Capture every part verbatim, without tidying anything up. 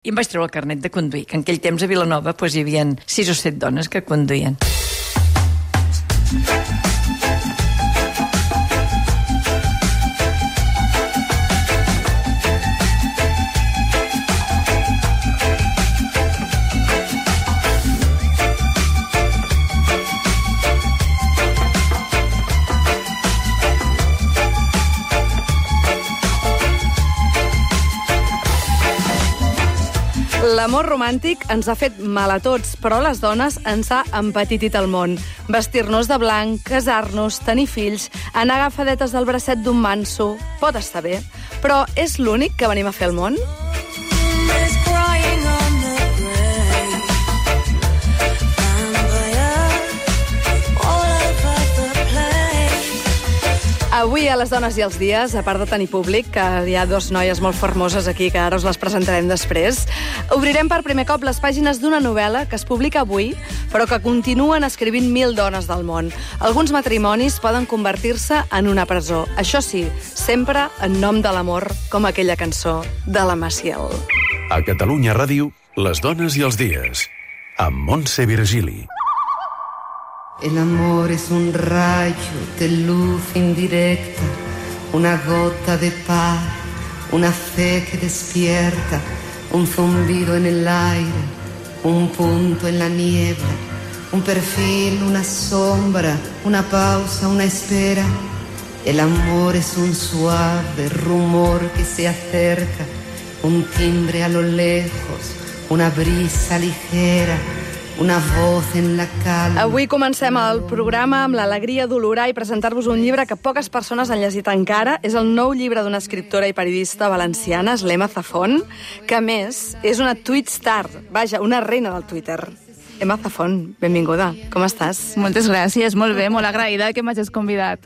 I em vaig treure el carnet de conduir, que en aquell temps a Vilanova doncs, hi havia sis o set dones que conduïen. L'amor romàntic ens ha fet mal a tots, però a les dones ens ha empetitit el món. Vestir-nos de blanc, casar-nos, tenir fills, anar agafadetes del bracet d'un manso... Pot estar bé, però és l'únic que venim a fer al món? Avui a Les Dones i els Dies, a part de tenir públic, que hi ha dos noies molt formoses aquí, que ara us les presentarem després, obrirem per primer cop les pàgines d'una novel·la que es publica avui, però que continuen escrivint mil dones del món. Alguns matrimonis poden convertir-se en una presó. Això sí, sempre en nom de l'amor, com aquella cançó de la Maciel. A Catalunya Ràdio, Les Dones i els Dies, amb Montse Virgili. El amor es un rayo de luz indirecta, una gota de par, una fe que despierta, un zumbido en el aire, un punto en la niebla, un perfil, una sombra, una pausa, una espera. El amor es un suave rumor que se acerca, un timbre a lo lejos, una brisa ligera, una voz en la calma. Avui comencem el programa amb l'alegria d'olorar i presentar-vos un llibre que poques persones han llegit encara. És el nou llibre d'una escriptora i periodista valenciana, Emma Zafón, que a més és una tweet star, vaja, una reina del Twitter. Emma Zafón, benvinguda. Com estàs? Moltes gràcies, molt bé, molt agraïda que m'hagis convidat.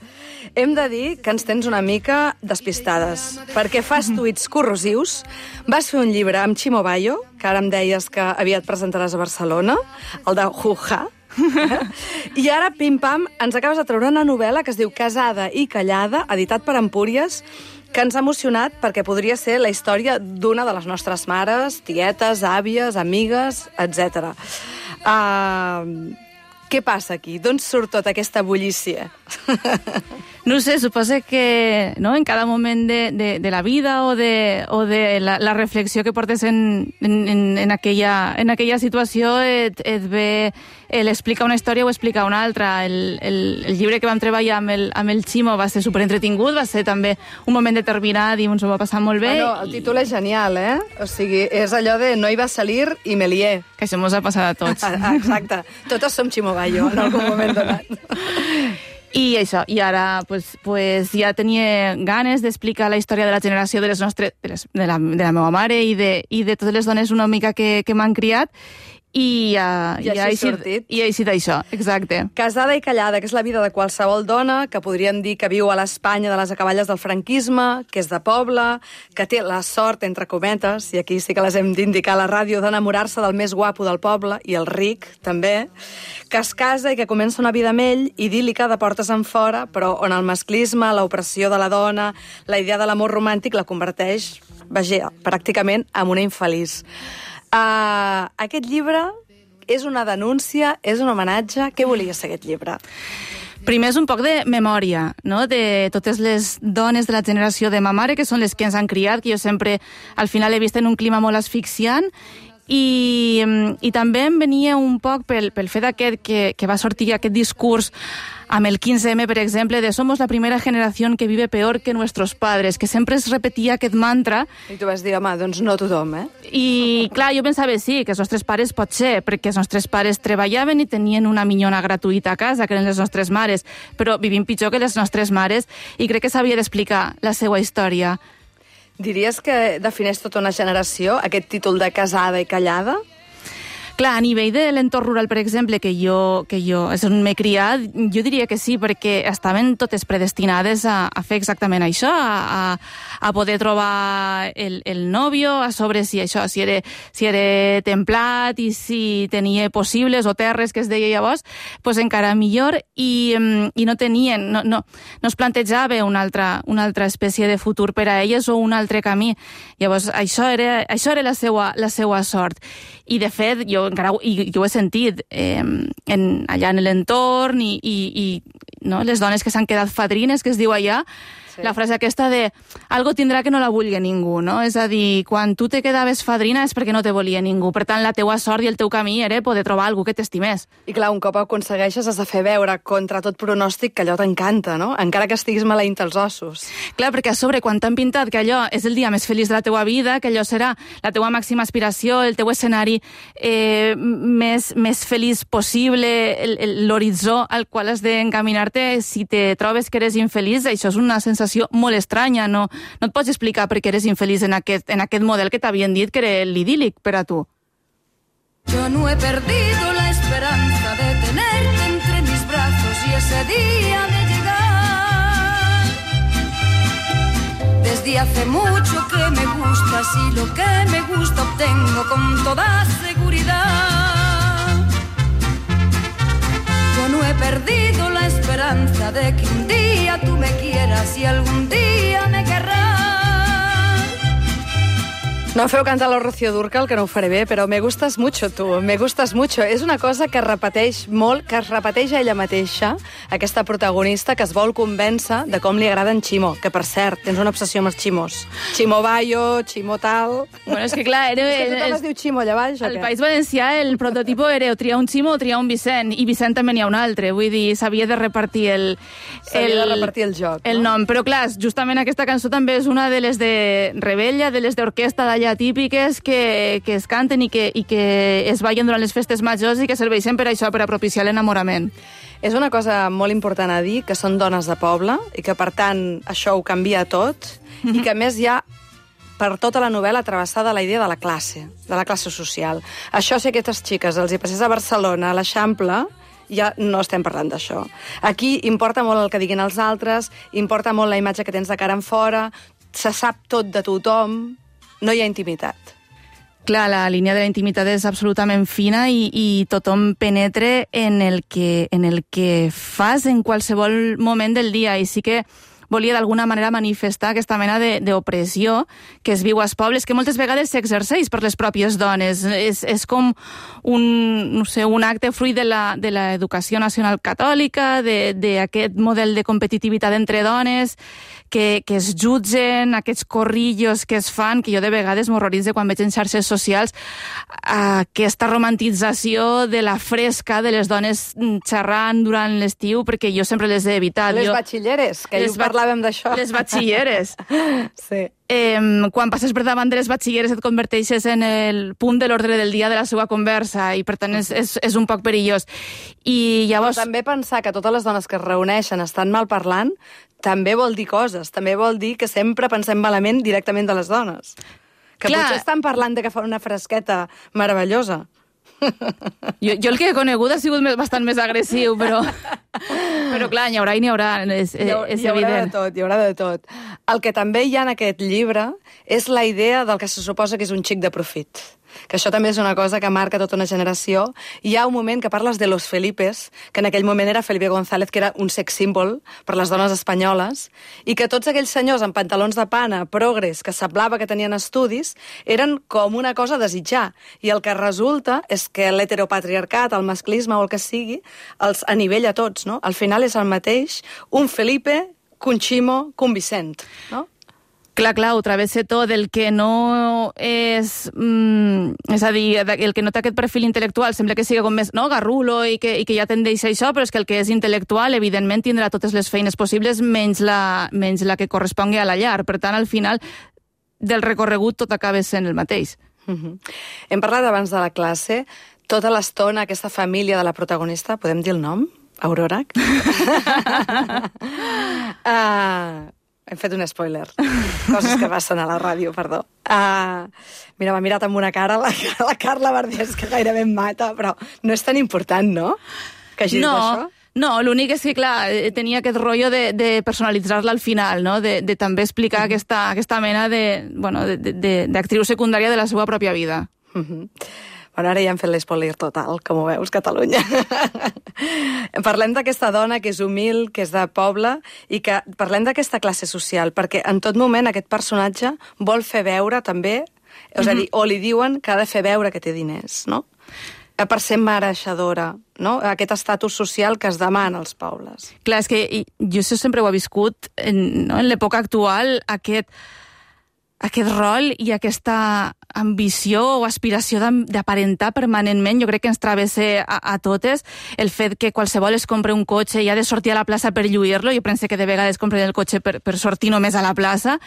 Hem de dir que ens tens una mica despistades, perquè fas tuits corrosius, vas fer un llibre amb Chimo Bayo, que ara em deies que aviat presentaràs a Barcelona, el de Juja, i ara, pim-pam, ens acabes de treure una novel·la que es diu Casada i callada, editat per Empúries, que ens ha emocionat perquè podria ser la història d'una de les nostres mares, tietes, àvies, amigues, etcètera. Uh, què passa aquí? D'on surt tota aquesta bullícia? No sé, suposo que no, en cada moment de, de, de la vida o de, o de la, la reflexió que portes en, en, en, aquella, en aquella situació et, et ve l'explicar una història o explicar una altra. El, el, el llibre que vam treballar amb el, amb el Chimo va ser superentretingut, va ser també un moment determinat i ens ho va passar molt bé. Bueno, el títol és genial, eh? O sigui, és allò de no iba a salir i me lié. Que això mos ha passat a tots. Exacte. Totes som Chimo Bayo en algun moment donat. I això, i ara pues, pues, ja tenia ganes d'explicar la història de la generació de les nostres, de, les, de, la, de la meva mare i de, i de totes les dones una mica que, que m'han criat, i, uh, I, i ha sortit. I ha eixit això, exacte. Casada i callada, que és la vida de qualsevol dona, que podríem dir que viu a l'Espanya de les acaballes del franquisme, que és de poble, que té la sort, entre cometes, i aquí sí que les hem d'indicar a la ràdio, d'enamorar-se del més guapo del poble, i el ric, també, que es casa i que comença una vida amb ell, idíl·lica de portes en fora, però on el masclisme, l'opressió de la dona, la idea de l'amor romàntic la converteix, vaja, pràcticament en una infeliç. Uh, aquest llibre és una denúncia, és un homenatge. Què volia ser aquest llibre? Primer és un poc de memòria, no?, de totes les dones de la generació de ma mare, que són les que ens han criat, que jo sempre al final he vist en un clima molt asfixiant, i, i també em venia un poc pel, pel fet aquest que, que va sortir aquest discurs amb el quinze eme, per exemple, de somos la primera generació que vive peor que nuestros padres, que sempre es repetia aquest mantra. I tu vas dir, home, doncs no tothom, eh? I, clar, jo pensava, sí, que els nostres pares pot ser, perquè els nostres pares treballaven i tenien una minyona gratuïta a casa, que eren les nostres mares, però vivim pitjor que les nostres mares, i crec que s'havia d'explicar la seva història. Diries que defineix tota una generació, aquest títol de Casada i callada? Clar, a nivell de l'entorn rural, per exemple, que jo, que jo és on m'he criat, jo diria que sí, perquè estaven totes predestinades a, a fer exactament això, a, a poder trobar el, el nòvio, a sobre si això, si era, si era templat i si tenia possibles o terres, que es deia llavors, pues encara millor, i, i no tenien, no, no, no es plantejava una altra, una altra espècie de futur per a elles o un altre camí. Llavors, això era, això era la seva, la seva sort. I, de fet, jo encara i, jo ho he sentit eh, en, allà en l'entorn i, i, i no, les dones que s'han quedat fadrines, que es diu allà, sí. La frase aquesta de algo tindrà que no la vulgui ningú, no? És a dir, quan tu te quedaves fadrina és perquè no te volia ningú. Per tant, la teua sort i el teu camí era poder trobar algú que t'estimés. I clar, un cop ho aconsegueixes has de fer veure contra tot pronòstic que allò t'encanta, no? Encara que estiguis maleint els ossos. Clar, perquè a sobre, quan t'han pintat que allò és el dia més feliç de la teua vida, que allò serà la teua màxima aspiració, el teu escenari eh, més, més feliç possible, l'horitzó al qual has d'encaminar-te, si te trobes que eres infeliç, això és una sensació molt estranya, no, no et pots explicar per què eres infeliç en aquest, en aquest model que t'havien dit que era l'idíl·lic per a tu. Yo no he perdido la esperanza de tenerte entre mis brazos y ese día de llegar. Desde hace mucho que me gustas y lo que me gusta obtengo con toda seguridad. Yo no he perdido la esperanza de que un día tú me quieras y algún día me querrás. No feu cantar la Rocío Dúrcal, que no ho faré bé, però me gustas mucho, tu, me gustas mucho. És una cosa que repeteix molt, que es repeteix a ella mateixa, aquesta protagonista que es vol convèncer de com li agrada en Ximo, que, per cert, tens una obsessió amb els ximos. Ximo Bayo, Ximo tal... Bueno, és que clar, era... És que tothom es diu Ximo allà baix, o què? Al País Valencià el prototipo era o triar un Ximo o triar un Vicent, i Vicent també n'hi ha un altre, vull dir, s'havia de repartir el... S'havia de repartir el joc, el no? nom, però clar, justament aquesta cançó també és una de les de Rebella, de les d'orquestra d'allà típiques que, que es canten i que, i que es ballen durant les festes majors i que serveixen per això, per a propiciar l'enamorament. És una cosa molt important a dir, que són dones de poble i que, per tant, això ho canvia tot mm-hmm. i que, a més, hi ha per tota la novel·la travessada la idea de la classe, de la classe social. Això, si a aquestes xiques els hi passés a Barcelona, a l'Eixample, ja no estem parlant d'això. Aquí importa molt el que diguin els altres, importa molt la imatge que tens de cara en fora, se sap tot de tothom, no hi ha intimitat. Clar, la línia de la intimitat és absolutament fina i, i tothom penetre en el, que, en el que fas en qualsevol moment del dia. I sí que volia d'alguna manera manifestar aquesta mena d'opressió que es viu als pobles, que moltes vegades s'exerceix per les pròpies dones. És, és com un, no sé, un acte fruit de la, de l'educació nacional catòlica, d'aquest model de competitivitat entre dones, que, que es jutgen, aquests corrillos que es fan, que jo de vegades m'horroritzo quan veig en xarxes socials aquesta romantització de la fresca de les dones xerrant durant l'estiu, perquè jo sempre les he evitat. Les jo... batxilleres, que ahir parlàvem d'això. Les batxilleres. Sí. Eh, quan passes per davant de les batxilleres et converteixes en el punt de l'ordre del dia de la seva conversa i per tant és, és, és un poc perillós. I llavors... Però també pensar que totes les dones que es reuneixen estan mal parlant també vol dir coses, també vol dir que sempre pensem malament directament de les dones. Que Clar. Potser estan parlant de que fan una fresqueta meravellosa. Jo, jo el que he conegut ha sigut més, bastant més agressiu, però, però clar, n'hi haurà i n'hi haurà, és, hi haurà, és hi haurà evident. De tot, hi haurà de tot. El que també hi ha en aquest llibre és la idea del que se suposa que és un xic de profit. Que això també és una cosa que marca tota una generació. Hi ha un moment que parles de los Felipes, que en aquell moment era Felipe González, que era un sex symbol per les dones espanyoles, i que tots aquells senyors amb pantalons de pana, progres, que semblava que tenien estudis, eren com una cosa a desitjar. I el que resulta és que l'heteropatriarcat, el masclisme o el que sigui, els anivella tots, no? Al final és el mateix un Felipe, que un Ximo, que un Vicent, no? Clar, clar, ho travessa tot. El que no és... Mm, és a dir, el que no té aquest perfil intel·lectual sembla que sigui com més no, garrulo i que, i que ja tendeix a això, però és que el que és intel·lectual, evidentment, tindrà totes les feines possibles menys la, menys la que correspongui a la llar. Per tant, al final, del recorregut tot acaba sent el mateix. Mm-hmm. Hem parlat abans de la classe. Tota l'estona, aquesta família de la protagonista, podem dir el nom? Aurora? uh... Hem fet un spoiler. Coses que passen a la ràdio, perdó. Uh, mira, m'ha mirat amb una cara la, la Carla Verdiès, que gairebé em mata, però no és tan important, no?, que hagis no. d'això. No, l'únic és que, clar, tenia aquest rotllo de, de personalitzar-la al final, no? De, de també explicar mm. aquesta, aquesta mena de, bueno, de, de, d'actriu secundària de la seva pròpia vida. Mm -hmm. Bueno, ara ja hem fet l'espoiler total, com ho veus, Catalunya. Parlem d'aquesta dona que és humil, que és de poble, i que parlem d'aquesta classe social, perquè en tot moment aquest personatge vol fer veure també, és a dir, o li diuen que ha de fer veure que té diners, no?, per ser mereixedora, no?, aquest estatus social que es demana als pobles. Clar, és que jo això sempre ho he viscut, en, no? en l'època actual, aquest... aquest rol i aquesta ambició o aspiració d'aparentar permanentment, jo crec que ens travessa a, a totes, el fet que qualsevol es compre un cotxe i ha de sortir a la plaça per lluir-lo, jo penso que de vegades compren el cotxe per, per sortir només a la plaça,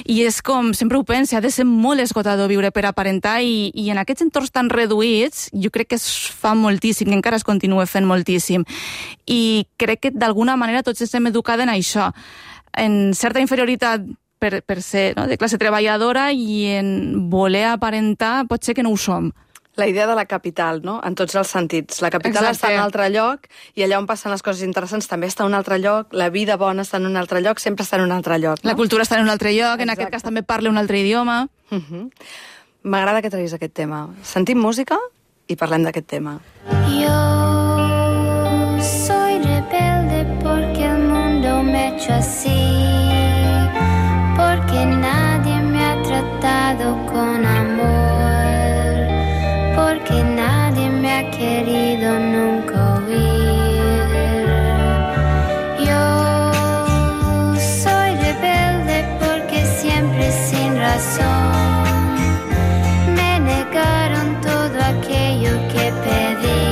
i és com, sempre ho penso, ha de ser molt esgotador viure per aparentar, i, i en aquests entorns tan reduïts, jo crec que es fa moltíssim, que encara es continua fent moltíssim, i crec que d'alguna manera tots estem educats en això, en certa inferioritat Per, per ser, no?, de classe treballadora, i en voler aparentar pot ser que no ho som. La idea de la capital, no?, en tots els sentits. La capital Exacte. Està en un altre lloc, i allà on passen les coses interessants també està en un altre lloc, la vida bona està en un altre lloc, sempre està en un altre lloc, no? La cultura està en un altre lloc, Exacte. En aquest cas també parla un altre idioma. Uh-huh. M'agrada que treguis aquest tema. Sentim música i parlem d'aquest tema. Yo soy rebelde porque el mundo me ha hecho así, porque nadie me ha tratado con amor, porque nadie me ha querido nunca oír. Yo soy rebelde porque siempre sin razón me negaron todo aquello que pedí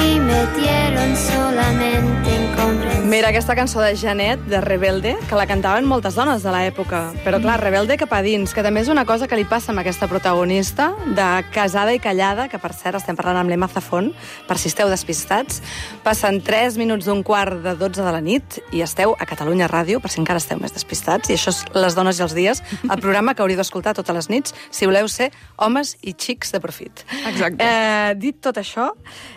y me dieron solamente incomprensión. Mira, aquesta cançó de Janet, de Rebelde, que la cantaven moltes dones de l'època, però clar, Rebelde cap a dins, que també és una cosa que li passa amb aquesta protagonista, de Casada i Callada, que per cert estem parlant amb l'Emma Zafón, per si esteu despistats. Passen tres minuts d'un quart de dotze de la nit i esteu a Catalunya Ràdio, per si encara esteu més despistats, i això és Les dones i els dies, el programa que hauríeu d'escoltar totes les nits si voleu ser homes i xics de profit. Exacte. Eh, dit tot això,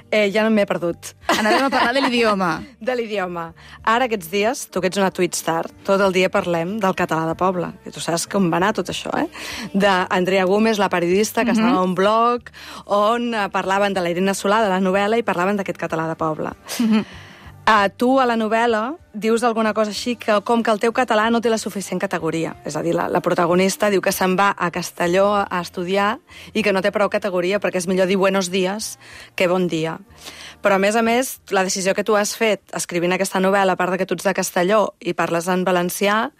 eh, ja no m'he perdut. Anàvem a parlar de l'idioma. De l'idioma. Ara, aquests dies, tu que ets una Twitstar, tot el dia parlem del català de poble. I tu saps com va anar tot això, eh? D'Andrea Gómez, la periodista, que uh-huh. estava a un blog on parlaven de la Irene Solà, de la novel·la, i parlaven d'aquest català de poble. Uh-huh. Uh, tu, a la novel·la, dius alguna cosa així que, com que el teu català no té la suficient categoria. És a dir, la, la protagonista diu que se'n va a Castelló a estudiar i que no té prou categoria perquè és millor dir buenos días que bon dia. Però, a més a més, la decisió que tu has fet escrivint aquesta novel·la, a part de que tu ets de Castelló i parles en valencià,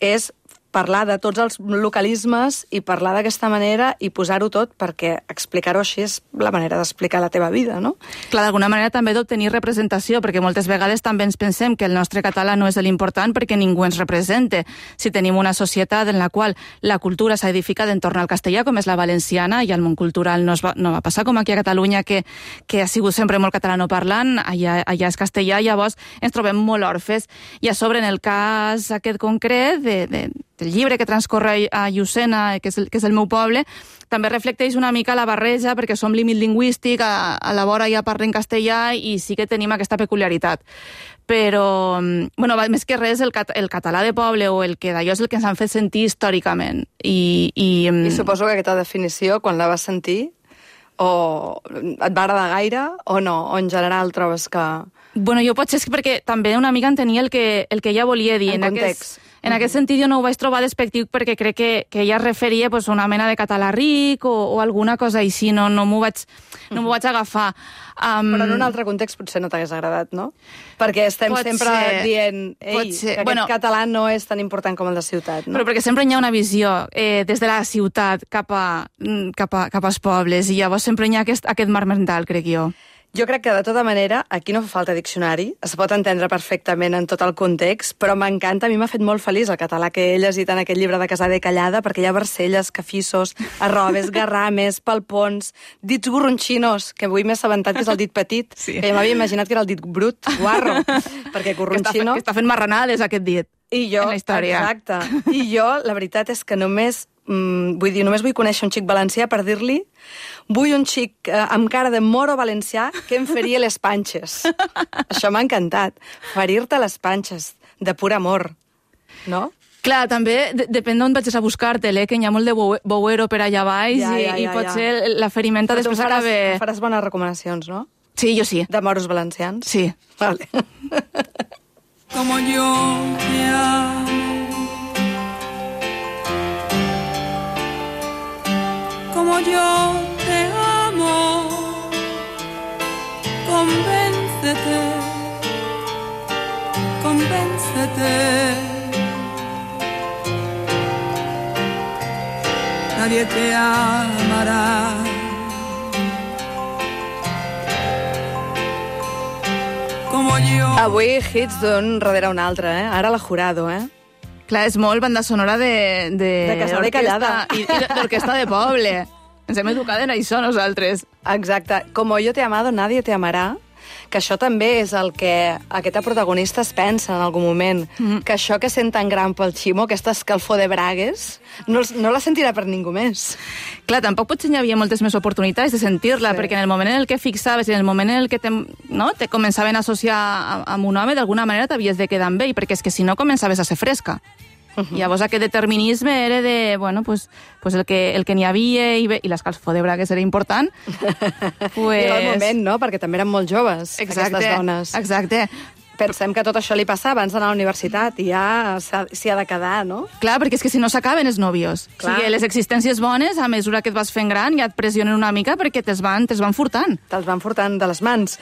és parlar de tots els localismes i parlar d'aquesta manera i posar-ho tot, perquè explicar-ho així és la manera d'explicar la teva vida, no? Clar, d'alguna manera també d'obtenir representació, perquè moltes vegades també ens pensem que el nostre català no és l'important perquè ningú ens represente. Si tenim una societat en la qual la cultura s'ha edificat entorn al castellà, com és la valenciana, i el món cultural no, es va, no va passar com aquí a Catalunya, que, que ha sigut sempre molt catalanoparlant, allà, allà és castellà, llavors ens trobem molt orfes. I a sobre, en el cas aquest concret de, de el llibre que transcorre a Llucena, que és, el, que és el meu poble, també reflecteix una mica la barreja, perquè som límit lingüístic, a, a la vora ja parlem castellà i sí que tenim aquesta peculiaritat. Però, bueno, més que res, el, cat, el català de poble o el que d'allò és el que ens han fet sentir històricament. I, i, I suposo que aquesta definició, quan la vas sentir, o et va agradar gaire o no? O en general trobes que... Bueno, jo potser és perquè també una mica entenia el que, el que ella volia dir. En, en context. Aquest, en aquest sentit jo no ho vaig trobar despectiu perquè crec que, que ella es referia pues, a una mena de català ric o, o alguna cosa així, no, no m'ho vaig, no m'ho vaig agafar. Um... Però en un altre context potser no t'hagués agradat, no? Perquè estem pot sempre ser, dient ei, que aquest bueno, català no és tan important com el de ciutat, no? Però perquè sempre hi ha una visió eh, des de la ciutat cap, a, cap, a, cap als pobles i llavors sempre hi ha aquest, aquest mar mental, crec jo. Jo crec que, de tota manera, aquí no fa falta diccionari, es pot entendre perfectament en tot el context, però m'encanta, a mi m'ha fet molt feliç el català que he llegit en aquest llibre de Casada i Callada, perquè hi ha barcelles, cafissos, arrobes, garrames, palpons, dits gorronxinos, que avui m'he assabentat que és el dit petit, sí. Que ja m'havia imaginat que era el dit brut, guarro, perquè gorronxino... Que està, que està fent marranades, aquest dit. I jo, en la història. Exacte. I jo, la veritat és que només, mm, vull dir, només vull conèixer un xic valencià per dir-li vull un xic eh, amb cara de moro valencià que em faria les panxes. Això m'ha encantat. Ferir-te les panxes, de pur amor, no? Clar, també de depèn d'on vagis a buscar-te-le, que hi ha molt de bouero per allà baix Ja, i, ja, ja, i potser ja. la ferimenta Però tu després faràs, acaba... faràs bones recomanacions, no? Sí, jo sí. De moros valencians? Sí. Vale. Como yo te amo, como yo te amo, convéncete, convéncete. Nadie te amará. Como yo. Avui hits d'un darrere un altre, eh? Ara la Jurado, eh? Clar, és molt banda sonora de... De, De Casada i Callada. I, i d'orquestra de poble. Ens hem educat en això, nosaltres. Exacte. Como yo te he amado, nadie te amará. Que això també és el que aquesta protagonista es pensa en algun moment. Mm-hmm. Que això que sent tan gran pel Ximo, aquesta escalfor de bragues, no, no la sentirà per ningú més. Clar, tampoc potser hi havia moltes més oportunitats de sentir-la, Sí. perquè en el moment en el que fixaves i en el moment en el que te, no, te començaven a associar a- amb un home, d'alguna manera t'havies de quedar amb ell, perquè és que si no començaves a ser fresca. Uh-huh. Llavors aquest determinisme era de, bueno, pues, pues el que, el que n'hi havia i, bé, i l'escalfor de bragues era important. pues... I era el moment, no? Perquè també eren molt joves, Exacte, aquestes dones. exacte. Pensem que tot això li passa abans d'anar a la universitat i ja s'ha- s'hi ha de quedar, no? Clar, perquè és que si no s'acaben els nòvios. Clar. O sigui, les existències bones, a mesura que et vas fent gran, ja et pressionen una mica perquè te'ls van, te'ls van furtant. Te'ls van furtant de les mans.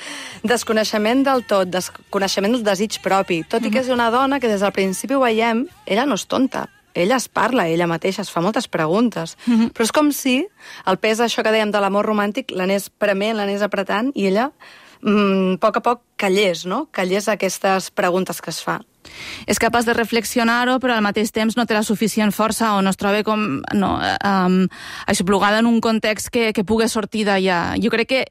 Desconeixement del tot, desconeixement del desig propi. Tot i que és una dona que des del principi ho veiem, ella no és tonta. Ella es parla, ella mateixa es fa moltes preguntes. Mm-hmm. Però és com si el pes d'això que dèiem de l'amor romàntic l'anés prement, l'anés apretant, i ella, mm, a poc a poc, callés, no? Callés aquestes preguntes que es fa. És capaç de reflexionar-ho, però al mateix temps no té la suficient força o no es troba com no, um, aixoplugada en un context que, que pugui sortir d'allà. Jo crec que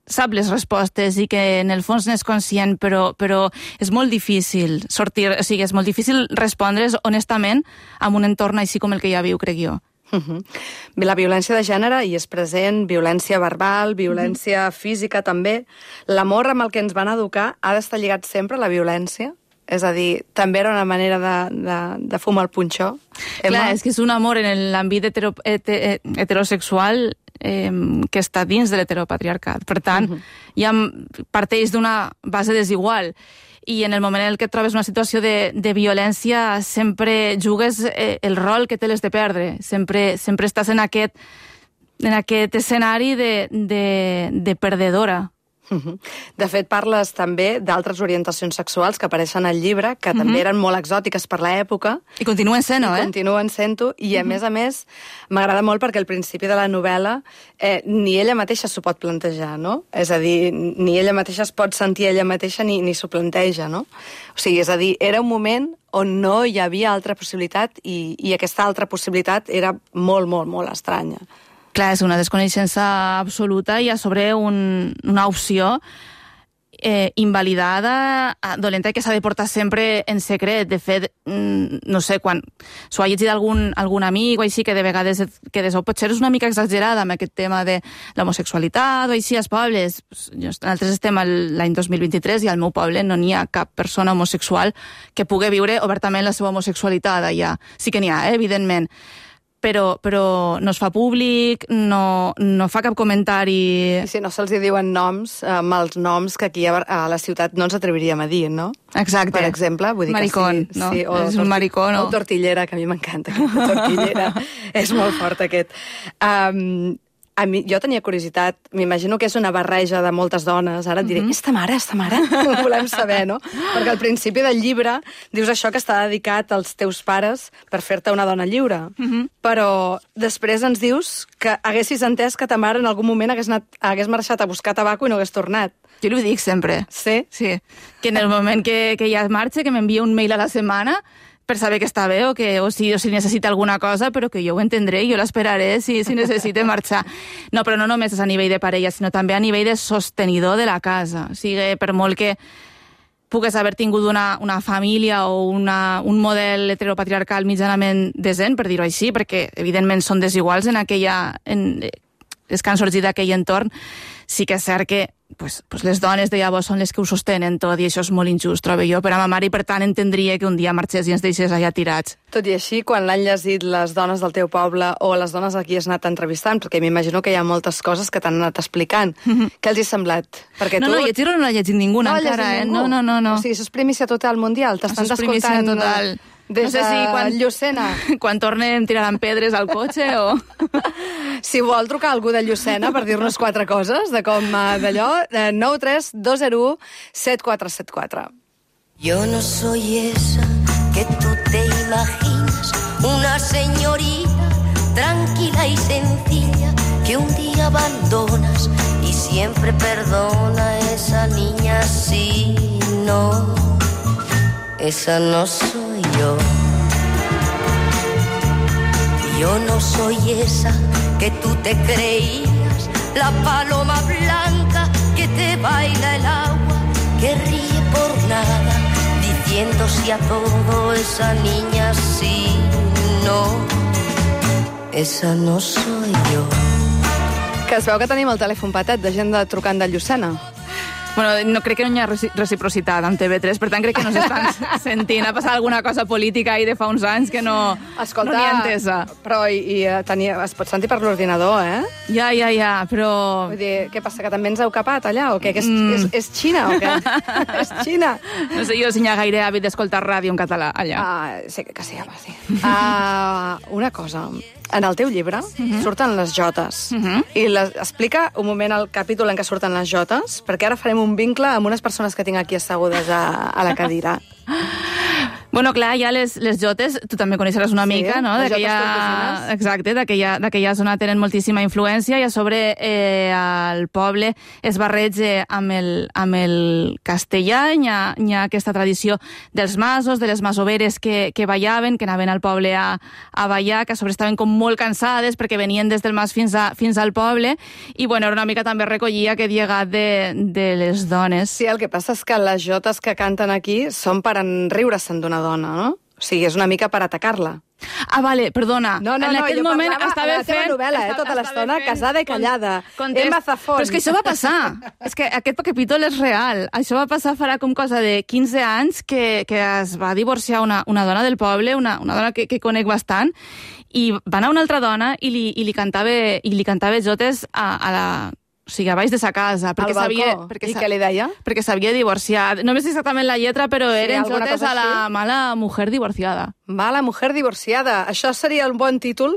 sap les respostes i que en el fons n'és conscient, però, però és molt difícil sortir, o sigui, és molt difícil respondre's honestament amb un entorn així com el que ja viu, crec jo. Uh-huh. La violència de gènere hi és present, violència verbal, violència uh-huh. física també. L'amor amb el que ens van educar ha d'estar lligat sempre a la violència? És a dir, també era una manera de, de, de fumar el punxó? Clar, és que és un amor en l'àmbit hetero, hetero, heterosexual eh, que està dins de l'heteropatriarcat. Per tant, uh-huh. ja parteix d'una base desigual. I en el moment en què et trobes una situació de, de violència sempre jugues eh, el rol que te l'has de perdre. Sempre, sempre estàs en aquest, en aquest escenari de, de, de perdedora. De fet, parles també d'altres orientacions sexuals que apareixen al llibre, que també uh-huh. eren molt exòtiques per l'època. I continuen sent-ho, eh? I continuen sent-ho, i a uh-huh. més a més m'agrada molt perquè al principi de la novel·la eh, ni ella mateixa s'ho pot plantejar, no? És a dir, ni ella mateixa es pot sentir ella mateixa ni, ni s'ho planteja, no? O sigui, és a dir, era un moment on no hi havia altra possibilitat i, i aquesta altra possibilitat era molt, molt, molt estranya. Clar, és una desconeixença absoluta i a sobre un, una opció eh, invalidada, dolenta, que s'ha de portar sempre en secret. De fet, no sé, quan s'ho ha llegit algun, algun amic o així, que de vegades que des, potser és una mica exagerada amb aquest tema de l'homosexualitat o així als pobles. Nosaltres estem l'any dos mil vint-i-tres i al meu poble no n'hi ha cap persona homosexual que pugui viure obertament la seva homosexualitat allà. Sí que n'hi ha, eh, evidentment. Però, però no es fa públic, no, no fa cap comentari... I si no se'ls diuen noms, amb els noms que aquí a la ciutat no ens atreviríem a dir, no? Exacte. Per exemple, vull dir maricón, que sí. no? Sí, o és un maricón, no? O tortillera, que a mi m'encanta aquesta tortillera. És molt fort, aquest. Um, a mi, jo tenia curiositat, m'imagino que és una barreja de moltes dones, ara et diré, mm-hmm. esta mare, esta mare, ho volem saber, no? Perquè al principi del llibre dius això que està dedicat als teus pares per fer-te una dona lliure, mm-hmm. però després ens dius que haguessis entès que ta mare en algun moment hagués, anat, hagués marxat a buscar tabaco i no hagués tornat. Jo li dic sempre. Sí? Sí. Que en el moment que, que ja marxa, que m'envia un mail a la setmana per saber que està bé o, que, o, si, o si necessita alguna cosa, però que jo ho entendré i jo l'esperaré si, si necessita marxar. No, però no només és a nivell de parella, sinó també a nivell de sostenidor de la casa. O sigui, per molt que pugues haver tingut una, una família o una, un model heteropatriarcal mitjanament decent, per dir-ho així, perquè evidentment són desiguals en aquella... En, les que han sorgit d'aquell entorn. Sí que és cert que pues, pues les dones de llavors són les que ho sostenen tot i això és molt injust, trobo jo, per a ma mare, i per tant entendria que un dia marxés i ens deixés allà tirats. Tot i així, quan l'han llegit les dones del teu poble o les dones a qui has anat entrevistant, perquè m'imagino que hi ha moltes coses que t'han anat explicant, mm-hmm. què els hi ha semblat? Perquè no, tu... no, llegir-ho no l'ha llegit ningú no encara, eh? Ningú. No, no, no, no. O sigui, això és primícia total mundial, t'estan escoltant total. Des no sé si quan, de Llucena. Quan tornem tiraran pedres al cotxe o... Si vol trucar algú de Llucena per dir-nos quatre coses de com d'allò, nou tres dos zero u set quatre set quatre. Yo no soy esa que tú te imaginas, una señorita tranquila y sencilla que un día abandonas y siempre perdona. Esa niña sí, no, esa no soy yo. Yo no soy esa que tú te creías, la paloma blanca que te baila el agua, que ríe por nada, diciendo sí a todo. Esa niña sí, no, esa no soy yo. Que es veu que tenim el telèfon patet de gent de trucant de Llucena. Bueno, no crec que no hi ha reciprocitat amb T V tres, per tant crec que no s'estan sentint. Ha passat alguna cosa política ahir de fa uns anys que no, Escolta, no n'hi ha entesa. Però i, i tenia, es pot sentir per l'ordinador, eh? Ja, ja, ja, però... Vull dir, què passa, que també ens heu capat allà, o què? Que és, mm. és, és Xina, o què? És Xina. No sé jo si hi ha gaire hàbit d'escoltar ràdio en català allà. Ah, sí, que sí, home, sí. Uh, una cosa... En el teu llibre uh-huh. surten les jotes. Uh-huh. I les, explica un moment el capítol en què surten les jotes, perquè ara farem un vincle amb unes persones que tinc aquí assegudes a, a la cadira. Bueno, clar, ja les, les jotes, tu també coneixeràs una sí, mica, no? Les jotes tortosines. Exacte, d'aquella zona tenen moltíssima influència i a sobre eh, el poble es barreja amb el, amb el castellà. Hi ha, hi ha aquesta tradició dels masos, de les masoveres que, que ballaven, que anaven al poble a, a ballar, que a sobre estaven com molt cansades perquè venien des del mas fins, a, fins al poble, i bueno, era una mica també recollia aquest llegat de, de les dones. Sí, el que passa és que les jotes que canten aquí són per enriure-se'n d'una dona, no? O sigui, és una mica per atacar-la. Ah, vale, perdona. No, no, en no, aquell jo moment parlava estava a la teva fent... novel·la, eh, tota l'estona, casada i callada. Context. Emma Zafón. Però és que això va passar. És que aquest capítol és real. Això va passar farà com cosa de quinze anys que, que es va divorciar una, una dona del poble, una, una dona que, que conec bastant, i va anar una altra dona i li, i li cantava, i li cantava jotes a, a la... O sigui, a baix de sa casa. Perquè al balcó. Perquè I què li deia? Perquè s'havia divorciat. No me sé exactament la lletra, però sí, eren jotes a la així? mala mujer divorciada. Mala mujer divorciada. Això seria un bon títol.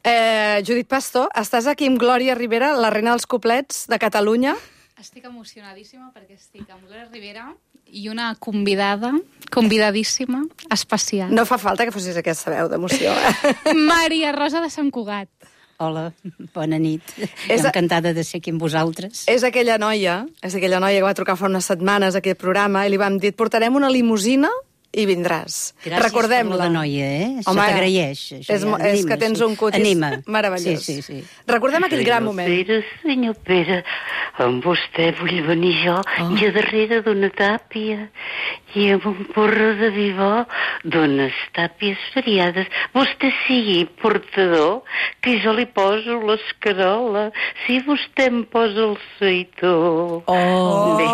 Eh, Judit Pastor, estàs aquí amb Glòria Rivera, la reina dels coplets de Catalunya. Estic emocionadíssima perquè estic amb Glòria Rivera i una convidada, convidadíssima, especial. No fa falta que fossis aquesta veu d'emoció. Maria Rosa de Sant Cugat. Hola, bona nit. És encantada de ser aquí amb vosaltres. És aquella noia, és aquella noia que va trucar fa unes setmanes a aquest programa i li vam dir, et portarem una limusina i vindràs. Gràcies Recordem-la. per la noia, eh? Se Home, t'agraeix. És, anima, és que tens sí. un cutis anima. meravellós. Sí, sí, sí. Recordem aquell gran moment. Pere, senyor Pere, amb vostè vull venir jo oh. i a darrere d'una tàpia i amb un porro de vi bo d'unes tàpies variades. Vostè sigui portador, que jo li poso l'escarola, si vostè em posa el seitó. Oh! Bé,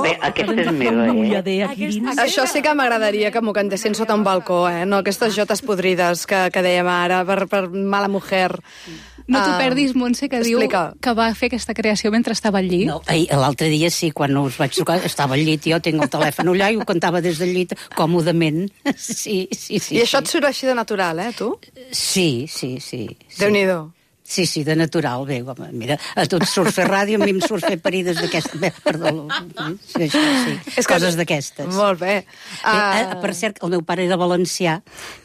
bé aquesta és meva, eh? Aquesta... Això sí que m'agradaria que m'ho cantessin sota un balcó, eh? No aquestes jotes podrides que, que dèiem ara, per, per mala mujer. No t'ho perdis, Montse, que explica. diu que va fer aquesta creació mentre estava al llit. No, l'altre dia sí, quan us vaig trucar, estava al llit, jo tinc el telèfon allà i ho cantava des del llit còmodament. Sí, sí, sí. I això sí. et surt així de natural, eh, tu? Sí, sí, sí. sí. Déu-n'hi-do. Sí, sí, de natural. Bé, home, mira, a tu et surt fer ràdio, a mi em surt fer parides d'aquestes. Bé, perdó, sí, això, sí. És coses d'aquestes. Molt bé. Uh... bé. Per cert, el meu pare era valencià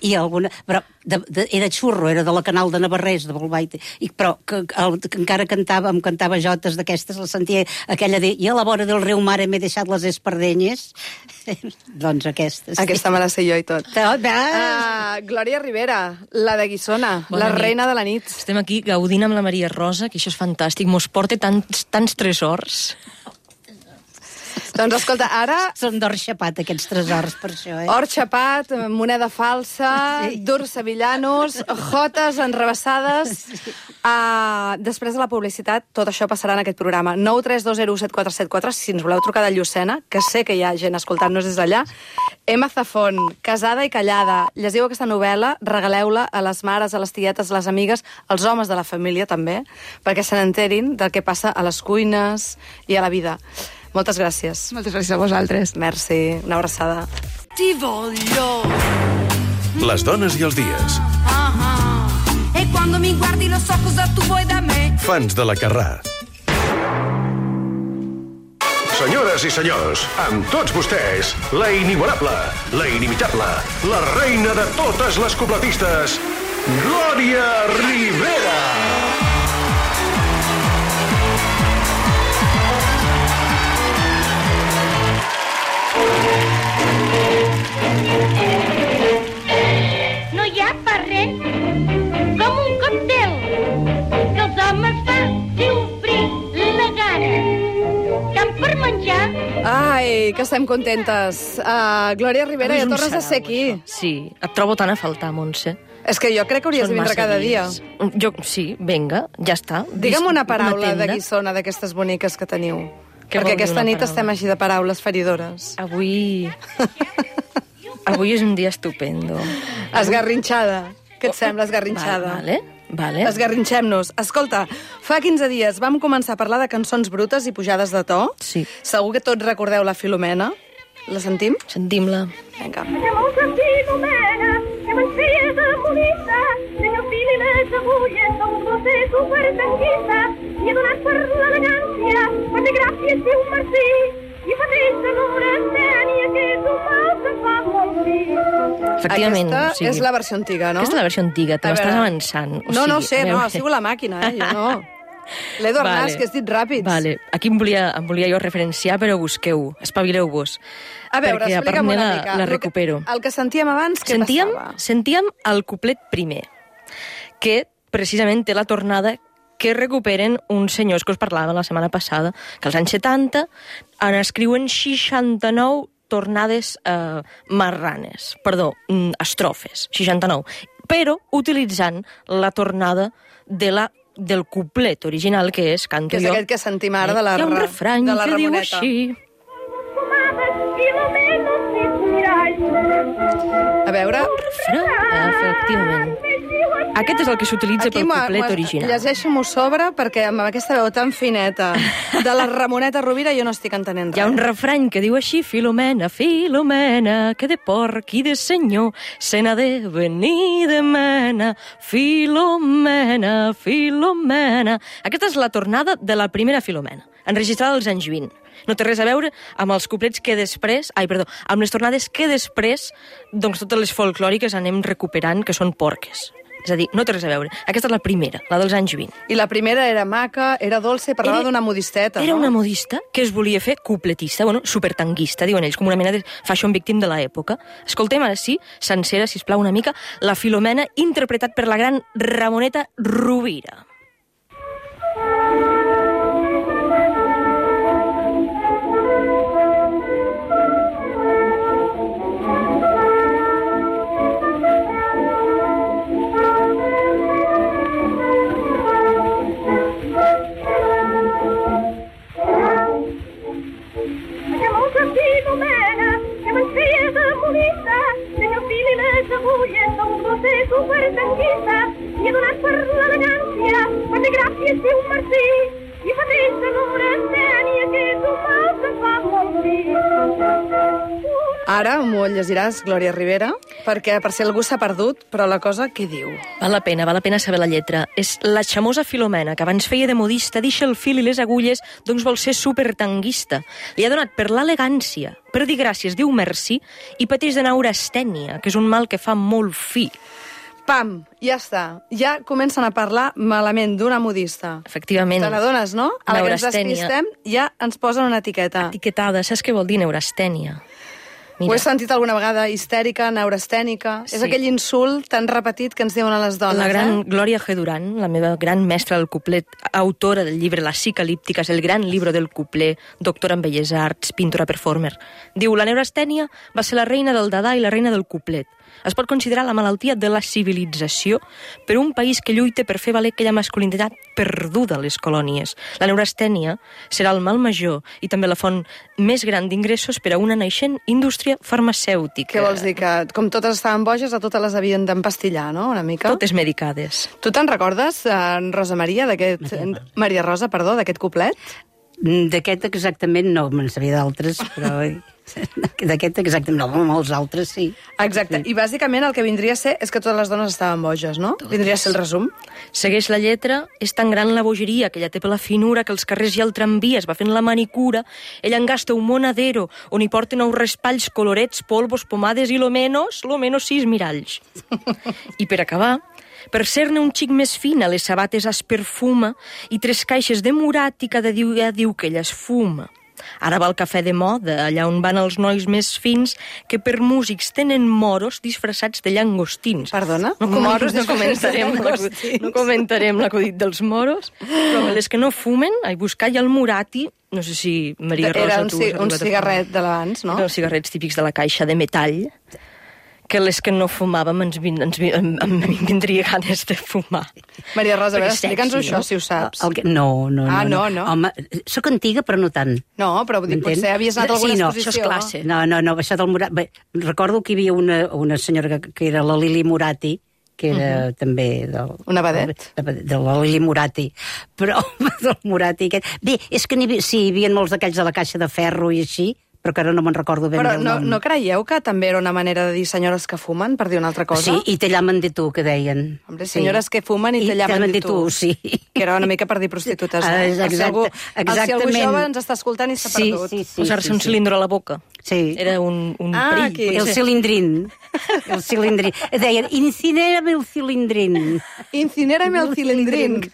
i alguna... Però de, de, era xurro, era de la Canal de Navarrés, de Bolbait, i, però que, el, que encara cantava, em cantava jotes d'aquestes, la sentia aquella de i a la vora del riu Mare m'he deixat les espardenyes. Doncs aquestes. Sí. Aquesta me la sé jo i tot. tot uh, Glòria Rivera, la de Guissona, Bona la nit. reina de la nit. Estem aquí gaudint amb la Maria Rosa, que això és fantàstic, mos porta tants, tants tresors. Doncs escolta, ara... Són d'or xapat, aquests tresors, per això, eh? Or xapat, moneda falsa, sí. Durs sevillanos, jotes enrebaçades... Sí. Uh, després de la publicitat, tot això passarà en aquest programa. nou tres dos zero set quatre set quatre, si ens voleu trucar de Llucena, que sé que hi ha gent escoltant-nos des d'allà. Emma Zafón, Casada i callada. Llegiu aquesta novel·la, regaleu-la a les mares, a les tietes, a les amigues, als homes de la família també, perquè se n'enterin del que passa a les cuines i a la vida. Moltes gràcies. Moltes gràcies a vosaltres. Merci, una abraçada. Ti voglio. Les dones i els dies. E quando mi guardi lo so cosa tu vuoi da me. Fans de la Carrà. Senyores i senyors, amb tots vostès, la inigualable, la inimitable, la reina de totes les cupletistes, Glòria Rivera! No hi ha per res com un còctel que els homes faci obrir la gana. Tant per menjar... Ai, que estem contentes. Uh, Glòria Rivera, ja tornes a ser aquí. Sí, et trobo tan a faltar, Montse. És que jo crec que hauries Són de vindre massa cada dia. dies. Jo, sí, vinga, ja està. Digue'm una paraula tenda. de guissona d'aquestes boniques que teniu. Què vol Perquè dir aquesta una nit paraula? estem així de paraules feridores. Avui... Avui és un dia estupendo. Esgarrinxada. Què et sembla, esgarrinxada? Vale, vale. Esgarrinxem-nos. Escolta, fa quinze dies vam començar a parlar de cançons brutes i pujades de to. Sí. Segur que tots recordeu la Filomena. La sentim? Sentim-la. Vinga. Llavors la Filomena, que me'n feia de monita, tenia el fil i les agulles, un gosser supertanguista, i ha donat per l'elegància, per fer gràcies i un merci, i fa trista l'hora tènia, que és un mal que fa molt dir. Efectivament. Aquesta o sigui, és la versió antiga, no? Aquesta és la versió antiga, te A m'estàs veure. avançant. O No, no sigui, sé, a no, veure. ha sigut la màquina, eh? Jo no. L'Edu Arnàs, que has dit ràpids. Vale. Aquí em volia, em volia jo referenciar, però busqueu, espavileu-vos. A veure, perquè a part explica'm me una la, mica. la El que- recupero. El que sentíem abans, què sentíem, passava? sentíem el couplet primer, que precisament té la tornada que recuperen uns senyors que us parlava la setmana passada, que als anys setanta en escriuen seixanta-nou tornades eh, marranes, perdó, mm, estrofes, seixanta-nou, però utilitzant la tornada de la del couplet original, que és Canto Que és jo. aquest que sentim ara de la, Hi ha un ra- refrany de la que diu Ramoneta. així. A veure... Efectivament. Aquest és el que s'utilitza pel m'ho- couplet m'ho- original. Llegeixo-m'ho sobre, perquè amb aquesta veu tan fineta de la Ramoneta Rovira jo no estic entenent res. Hi ha un refrany que diu així: Filomena, Filomena, que de porc i de senyor se n'ha de venir de mena. Filomena, Filomena. Aquesta és la tornada de la primera Filomena, enregistrada als anys vint. No té res a veure amb els couplets que després... Ai, perdó, amb les tornades que després, doncs totes les folclòriques anem recuperant, que són porques. És a dir, no té res a veure. Aquesta és la primera, la dels anys vint. I la primera era maca, era dolça i parlava Era- d'una modisteta, Era no? una modista que es volia fer cupletista, bueno, supertanguista, diuen ells, com una mena de fashion victim de l'època. Escoltem ara sí, sencera, sisplau, una mica, la Filomena, interpretat per la gran Ramoneta Rovira. Llavors la Filomena, que me'n feia de monita, tenia el fil i les agulles, un gosser supertanguista, i ha donat per l'elegància, per fer gràcies i un merci, i fa trista l'hora tènia, que és un mal que fa molt dir. Ara m'ho llegiràs, Glòria Rivera, perquè per si algú s'ha perdut, però la cosa què diu? Val la pena, val la pena saber la lletra. És la xamosa Filomena, que abans feia de modista, deixa el fil i les agulles, doncs vol ser supertanguista. Li ha donat per l'elegància, per dir gràcies, diu merci, i pateix de neurastènia, que és un mal que fa molt fi. Pam, ja està. Ja comencen a parlar malament d'una modista. Efectivament. Te n'adones, no? A la que ens Neurastènia. despistem ja ens posen una etiqueta. Etiquetada, saps què vol dir neurastènia? Ho he sentit alguna vegada, histèrica, neurastènica. Sí. És aquell insult tan repetit que ens diuen a les dones, La gran eh? Glòria G. Duran, la meva gran mestra del couplet, autora del llibre Las psicalípticas, el gran llibre del couplet, doctora en belles arts, pintora performer, diu: la neurastènia va ser la reina del Dada i la reina del couplet. Es pot considerar la malaltia de la civilització per un país que lluita per fer valer aquella masculinitat perduda a les colònies. La neurastènia serà el mal major i també la font més gran d'ingressos per a una naixent indústria farmacèutica. Què vols dir? Que com totes estaven boges, a totes les havien d'empastillar, no?, una mica? Totes medicades. Tu te'n recordes, eh, Rosa Maria, d'aquest... Maria Rosa, perdó, d'aquest couplet? D'aquest exactament no, me'n sabia d'altres, però... D'aquest exactament no, molts altres sí. Exacte, i bàsicament el que vindria a ser és que totes les dones estaven boges, no? Totes. Vindria a ser el resum. Segueix la lletra, és tan gran la bogeria que ella té per la finura que els carrers i el tramvia es va fent la manicura, ella en gasta un monadero on hi porten nous raspalls, colorets, polvos, pomades i lo menos, lo menos sis miralls. I per acabar, per ser-ne un xic més fina, les sabates es perfuma i tres caixes de murat i cada dia diu que ella es fuma. Ara va el cafè de moda, allà on van els nois més fins que per músics tenen moros disfressats de llangostins. Perdona? No, com, moros no, comentarem no comentarem l'acudit dels moros, però les que no fumen, a buscar ja el murati, no sé si Maria Rosa... Era un, ci un cigarret de l'abans, no? Eren els cigarrets típics de la caixa de metall, que les que no fumàvem ens, vin, ens vin, em, em vindria ganes de fumar. Maria Rosa, a veure, explica'ns-ho això, si ho saps. El que... No, no, ah, no, no, no. Home, soc antiga, però no tant. No, però vull dir, potser havies anat a alguna sí, no, exposició. Això és classe. No, no, no, això del Murat... Bé, recordo que hi havia una, una senyora que, que era la Lili Murati, que era uh -huh. també... Del, una vedet. De, de la Lili Murati. Però del Murati aquest... Bé, és que hi havia, sí, hi havia molts d'aquells de la caixa de ferro i així, però que ara no me'n recordo ben però bé el no, nom. no creieu que també era una manera de dir senyores que fumen, per dir una altra cosa? Sí, i te llamen de tu, que deien. Hombre, senyores sí. que fumen i, I te llamen de tu. Sí. Que era una mica per dir prostitutes. Ah, eh? exacte, si algú, exactament. Si algú jove ens està escoltant i s'ha sí, perdut. Sí, sí, Posar-se sí, un sí. cilindre a la boca. Sí. Era un, un ah, perill. Aquí. El cilindrín. El cilindrín. Deien, incinérame el cilindrín. Incinérame el cilindrín.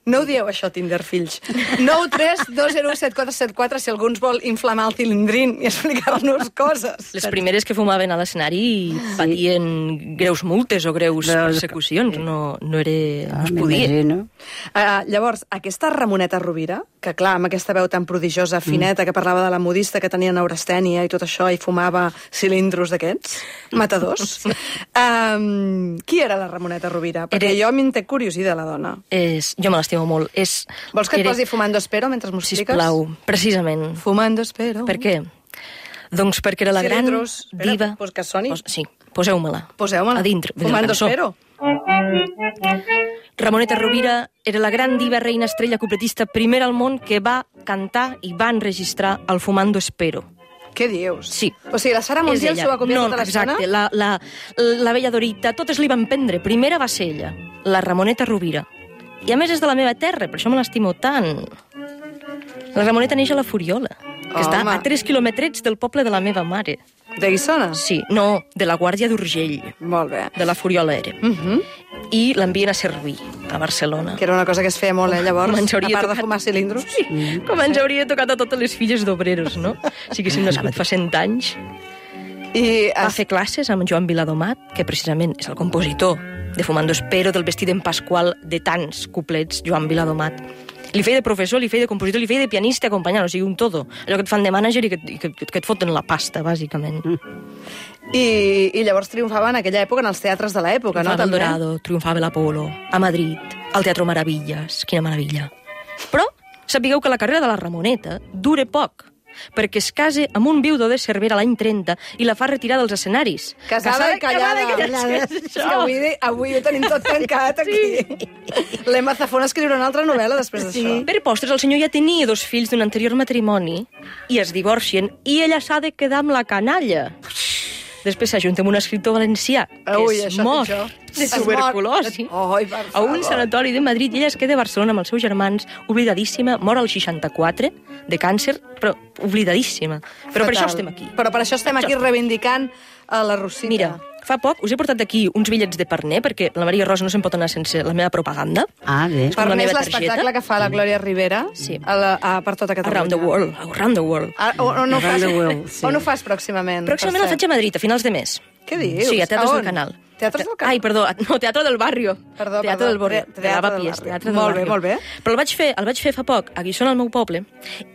No ho dieu, això, Tinder, fills. nou tres dos zero set quatre set quatre si algú ens vol inflamar el cilindrín i explicar-nos coses. Les primeres que fumaven a l'escenari patien greus multes o greus persecucions. No, no era... Ah, no es podia. Uh, llavors, aquesta Ramoneta Rovira, que clar, amb aquesta veu tan prodigiosa, fineta, mm. que parlava de la modista que tenia neurastènia i tot això, i fumava cilindros d'aquests, matadors. um, qui era la Ramoneta Rovira? Perquè era... jo m'en té curiositat, la dona. És... Jo me l'estimo molt. És... Vols que et era... posi Fumando Espero mentre m'ho expliques? Sisplau, precisament. Fumando Espero. Per què? Doncs perquè era la cilindros. Gran diva... Espera, pues que soni. Pos... Sí, poseu-me-la. Poseu-me-la. A dintre. Fumando Espero. Ramoneta Rovira era la gran diva reina estrella cupletista primera al món que va cantar i va enregistrar el Fumando Espero. Què dius? Sí. O sigui, la Sara Montiel s'ho va copiar no, tota l'estona? Exacte, la, la, la Bella Dorita, totes li van prendre. Primera va ser ella, la Ramoneta Rovira. I a més és de la meva terra, per això me l'estimo tant. La Ramoneta neix a la Furiola, que Home. està a tres quilòmetrets del poble de la meva mare. De Guissona? Sí, no, de la Guàrdia d'Urgell. Molt bé. De la Furiola era. Uh -huh. I l'envien a servir, a Barcelona. Que era una cosa que es feia molt, eh, llavors, a part tocat... de fumar cilindros. Sí, mm. com ens hauria tocat a totes les filles d'obreros, no? Si haguéssim nascut fa cent anys. I va es... fer classes amb Joan Viladomat, que precisament és el compositor de Fumando Espero, del vestit en Pasqual, de tants couplets, Joan Viladomat. Li feia de professor, li feia de compositor, li feia de pianista acompanyant, o sigui, un todo. Allò que et fan de mànager i que, i que, que et foten la pasta, bàsicament. Mm. I, I llavors triomfava en aquella època en els teatres de l'època, no? Triomfava el Dorado, triomfava l'Apolo, a Madrid, al Teatro Maravillas, quina meravella. Però sapigueu que la carrera de la Ramoneta dura poc, perquè es casa amb un viudo de Cervera l'any trenta i la fa retirar dels escenaris. Casada, Casada i callada. callada. callada. És que avui, avui ho tenim tot tancat aquí. Sí. L'Emma Zafón escriurà una altra novel·la després d'això. Sí. Per postres, el senyor ja tenia dos fills d'un anterior matrimoni i es divorcien i ella s'ha de quedar amb la canalla. Després s'ajunta amb un escriptor valencià que Ui, es mor de tuberculosi Oi, a un sanatori de Madrid i ella es queda a Barcelona amb els seus germans, oblidadíssima, mor al seixanta-quatre de càncer, però oblidadíssima. Però Fatal. per això estem aquí. Però per això estem aquí reivindicant a la Rosita. Mira, fa poc us he portat aquí uns bitllets de Parner, perquè la Maria Rosa no se'n pot anar sense la meva propaganda. Ah, bé. És com la Parner és meva l'espectacle targeta. que fa la Glòria Rivera Sí. a la, a, per tota Catalunya. Around the world. Around the world. Ah, on, on, ho Around fas, the world, sí. on ho fas pròximament? Pròximament per la faig a Madrid, a finals de mes. Què dius? Sí, a Teatres A del on? Canal. Teatres del Canal? Ai, perdó, no, Teatro del Barrio. Perdó, Teatro perdó. del Barrio. Teatre de del Lavapiés, Barrio. Teatre del Molt bé, Barrio. molt bé. Però el vaig fer, el vaig fer fa poc, a Guissona, al meu poble,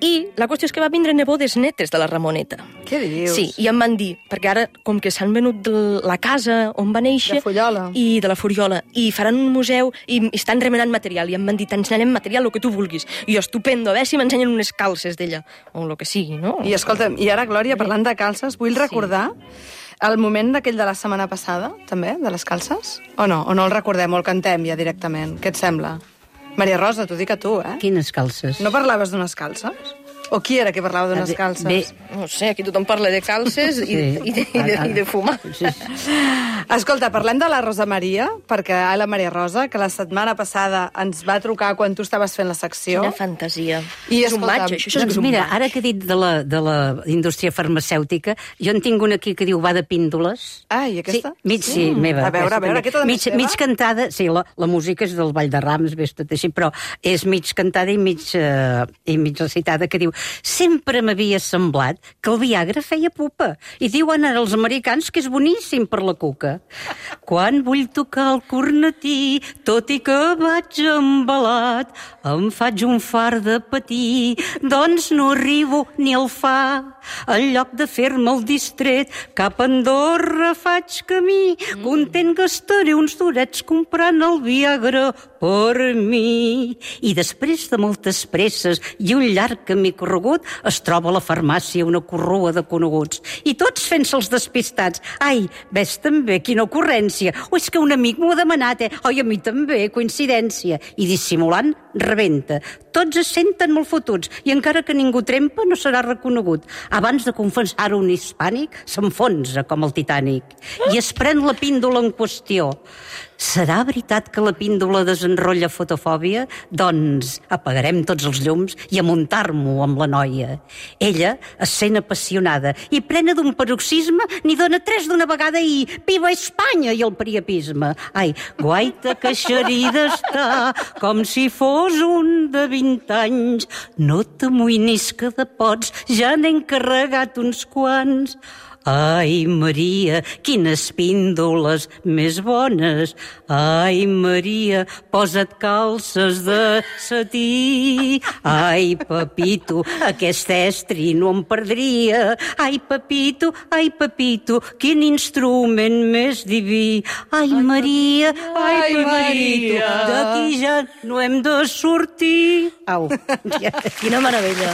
i la qüestió és que va vindre nebodes netes de la Ramoneta. Què dius? Sí, i em van dir, perquè ara, com que s'han venut de la casa on va néixer... De Fullola. I de la Fullola. I faran un museu i estan remenant material. I em van dir, t'ensenyarem material, el que tu vulguis. I jo, estupendo, a veure si m'ensenyen unes calces d'ella. O el que sigui, no? I escolta'm, i ara, Glòria, parlant de calces, vull recordar el moment d'aquell de la setmana passada, també, de les calces? O no? O no el recordem, o el cantem ja directament? Què et sembla? Maria Rosa, t'ho dic a tu, eh? Quines calces? No parlaves d'unes calces? O qui era que parlava d'unes Bé, calces? bé. No sé, aquí tothom parla de calces i, Sí. i, de, i, de, i de fumar. Sí. Escolta, parlem de la Rosa Maria, perquè ai, la Maria Rosa, que la setmana passada ens va trucar quan tu estaves fent la secció. Quina fantasia. I, és un escolta'm, maig, això, això és Doncs que és un mira, maig. ara que he dit de la, de la indústria farmacèutica, jo en tinc una aquí que diu va de píndoles. Ai, aquesta? Sí, mig, sí, meva. A veure, aquesta a veure, també. aquesta també mig, és teva? mig cantada, sí, la, la música és del Vall de Rams, ves tot així, però és mig cantada i mig, uh, i mig recitada, que diu sempre m'havia semblat que el Viagra feia pupa. I diuen ara els americans que és boníssim per la cuca. Quan vull tocar el cornetí, tot i que vaig embalat, em faig un far de patir, doncs no arribo ni al fa. En lloc de fer-me el distret, cap a Andorra faig camí, content gastaré uns durets comprant el Viagra per mi. I després de moltes presses i un llarg camí corregut, es troba a la farmàcia una corrua de coneguts. I tots fent-se els despistats. Ai, ves també, quina ocurrència. O és que un amic m'ho ha demanat, eh? Oi, a mi també, coincidència. I dissimulant, rebenta. Tots es senten molt fotuts i encara que ningú trempa no serà reconegut. Abans de confessar-ho un hispànic, s'enfonsa com el Titànic i es pren la píndola en qüestió. Serà veritat que la píndola desenrotlla fotofòbia? Doncs apagarem tots els llums i a muntar-m'ho amb la noia. Ella es sent apassionada i plena d'un paroxisme n'hi dona tres d'una vegada i viva Espanya i el priapisme. Ai, guaita que xerida està com si fos un de vint anys. No t'amoïnis que de pots ja n'he encarregat uns quants. Ai, Maria, quines píndoles més bones. Ai, Maria, posa't calces de setí. Ai, Pepito, aquest estri no em perdria. Ai, Pepito, ai, Pepito, quin instrument més diví. Ai, Maria, ai, Pepito, d'aquí ja no hem de sortir. Au. Quina meravella.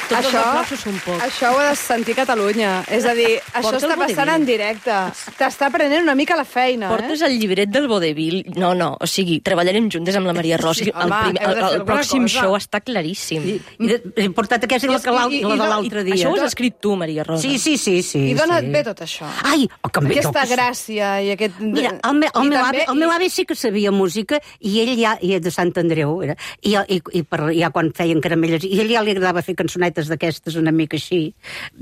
Tots els Això, aplausos són pocs. això ho ha de sentir Catalunya. És a dir, això Porta el està passant vodevil. en directe. T'està prenent una mica la feina, Portes eh? el llibret del vodevil. No, no, o sigui, treballarem juntes amb la Maria Rosa. Sí, el, home, primer, heu de el, fer el, alguna pròxim cosa. show està claríssim. I, i de, he portat aquesta i la, que l'al- I- i- i la i de do- l'altre i dia. Això ho has escrit tu, Maria Rosa. Sí, sí, sí. sí I dona sí. bé tot això. Ai, oh, que em ve Aquesta tot. gràcia i aquest... Mira, el, me, el, I meu també- avi, el meu avi sí que sabia música i ell ja, i de Sant Andreu, era, i, i, i per, ja quan feien caramelles, i ell ja li agradava fer cançonetes d'aquestes una mica així,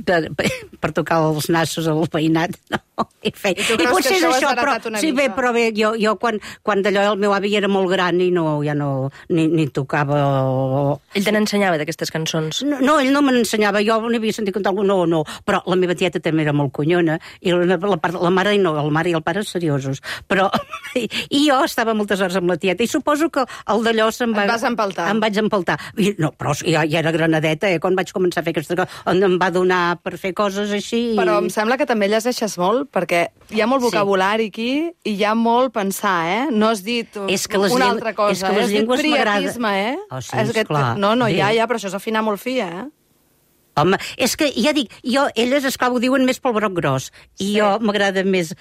per, per, per tocar els nassos al veïnat. No? I, fe, I tu I creus potser que és això ho has això, però, heretat una sí, bé, mica? però bé, jo, jo quan, quan d'allò el meu avi era molt gran i no, ja no, ni, ni tocava... O... Ell te n'ensenyava d'aquestes cançons. No, no, ell no me n'ensenyava, jo n'havia sentit cantar algú, no, no, però la meva tieta també era molt conyona, i la, la, part- la mare i no, el mare i el pare seriosos, però i, i jo estava moltes hores amb la tieta, i suposo que el d'allò se'm va... Et vas empaltar. Em vaig empaltar. I, no, però ja, ja era granadeta, eh, quan vaig començar a fer aquesta cosa, on em va donar per fer coses així... I... Però em sembla que també llegeixes molt, perquè hi ha molt vocabulari aquí i hi ha molt pensar, eh? No has dit És que les una lleng- altra cosa. és que les eh? Has dit llengües m'agrada. priapisme, eh? Oh, sí, És que- esclar. No, no, Bé. ja, ja, però això és afinar molt fi, eh? Home, és que ja dic, jo, elles, esclar, ho diuen més pel broc gros, i Sí. jo m'agrada més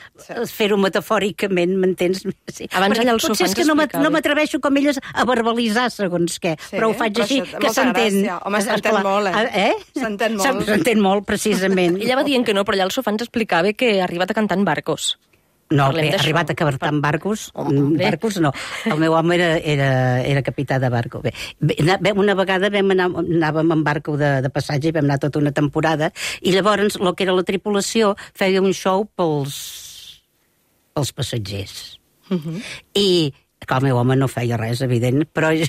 fer-ho metafòricament, m'entens? Sí. Abans Perquè allà els potser és sofans que no m'at- explicaven. no m'atreveixo com elles a verbalitzar segons què, Sí, però ho faig però així, això té que molta s'entén. gràcia. Home, s'entén Esclar, molt, eh? Eh? S'entén molt. S'entén molt, precisament. Ella va dient que no, però allà el sofà ens explicava que ha arribat a cantar en barcos. No, Parlem bé, d'això. arribat a cabertar en barcos, Home, bé. barcos no. El meu home era, era, era capità de barco. Bé, bé, na- una vegada vam anar, anàvem en barco de, de passatge i vam anar tota una temporada, i llavors el que era la tripulació feia un show pels pels passatgers. Uh-huh. I que el meu home no feia res, evident, però jo,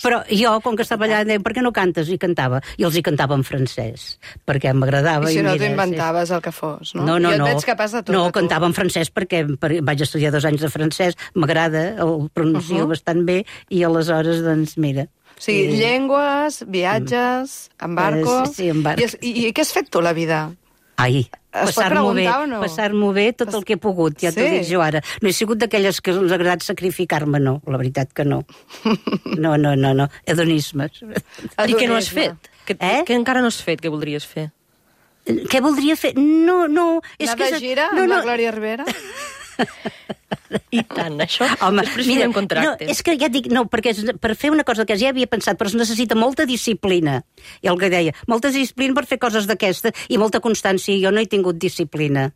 però jo com que estava allà, deia, per què no cantes? I cantava, i els hi cantava en francès, perquè m'agradava. I si no t'ho inventaves el que fos, no? No, no, jo et no. veig capaç de tot. No, de tu. cantava en francès perquè per, vaig estudiar dos anys de francès, m'agrada, el pronuncio uh-huh. bastant bé, i aleshores, doncs, mira... O sigui, I... llengües, viatges, en barco... Sí, sí, en barco. I, i, I què has fet tu, la vida? Ai, Es pot passar-m'ho bé, preguntar o no? passar-m'ho bé tot el que he pogut, ja t'ho Sí. dic jo ara. No he sigut d'aquelles que ens ha agradat sacrificar-me, no, la veritat que no. No, no, no, no, hedonismes. I què no has fet? Que, Eh? Què encara no has fet, que voldries fer? Què voldria fer? No, no... És Anar que de gira no, amb no. la Glòria Rivera? I tant, això, Home, després mira, firmem contractes. No, és que ja et dic, no, perquè és, per fer una cosa que ja havia pensat, però es necessita molta disciplina. I el que deia, molta disciplina per fer coses d'aquesta i molta constància, i jo no he tingut disciplina.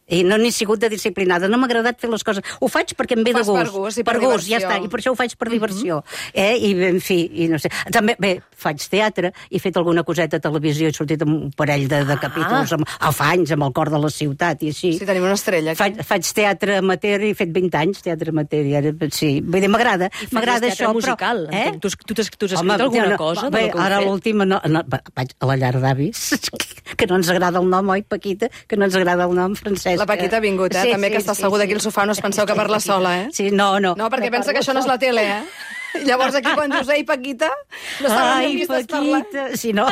I no n'he sigut de disciplinada, no m'ha agradat fer les coses. Ho faig perquè em ve Ho de fas gust. per gust i per per gust, ja diversió. està, i per això ho faig per diversió. eh? I, en fi, i no sé. També, bé, faig teatre, he fet alguna coseta a televisió, he sortit amb un parell de, de capítols, amb, a fa anys, amb el cor de la ciutat, i així. Sí, tenim una estrella. Aquí. Faig, faig teatre amateur, he fet vint anys teatre amateur, i ara, sí, vull dir, m'agrada, m'agrada això, musical. però... Eh? Tu, tu, t'has, tu has escrit alguna no, cosa? Bé, de lo que heu ara fet? l'última, no, no, vaig a la llar d'avis, que no ens agrada el nom, oi, Paquita? Que no ens agrada el nom, Francesc. La Paquita ha vingut, eh? També que està asseguda aquí al sofà, no es penseu que parla sola, eh? Sí, no, no. No, perquè pensa que això no és la tele, eh? I llavors aquí quan dius, ei, Paquita, no saben Ai, amb qui estàs parlant. Paquita, si no...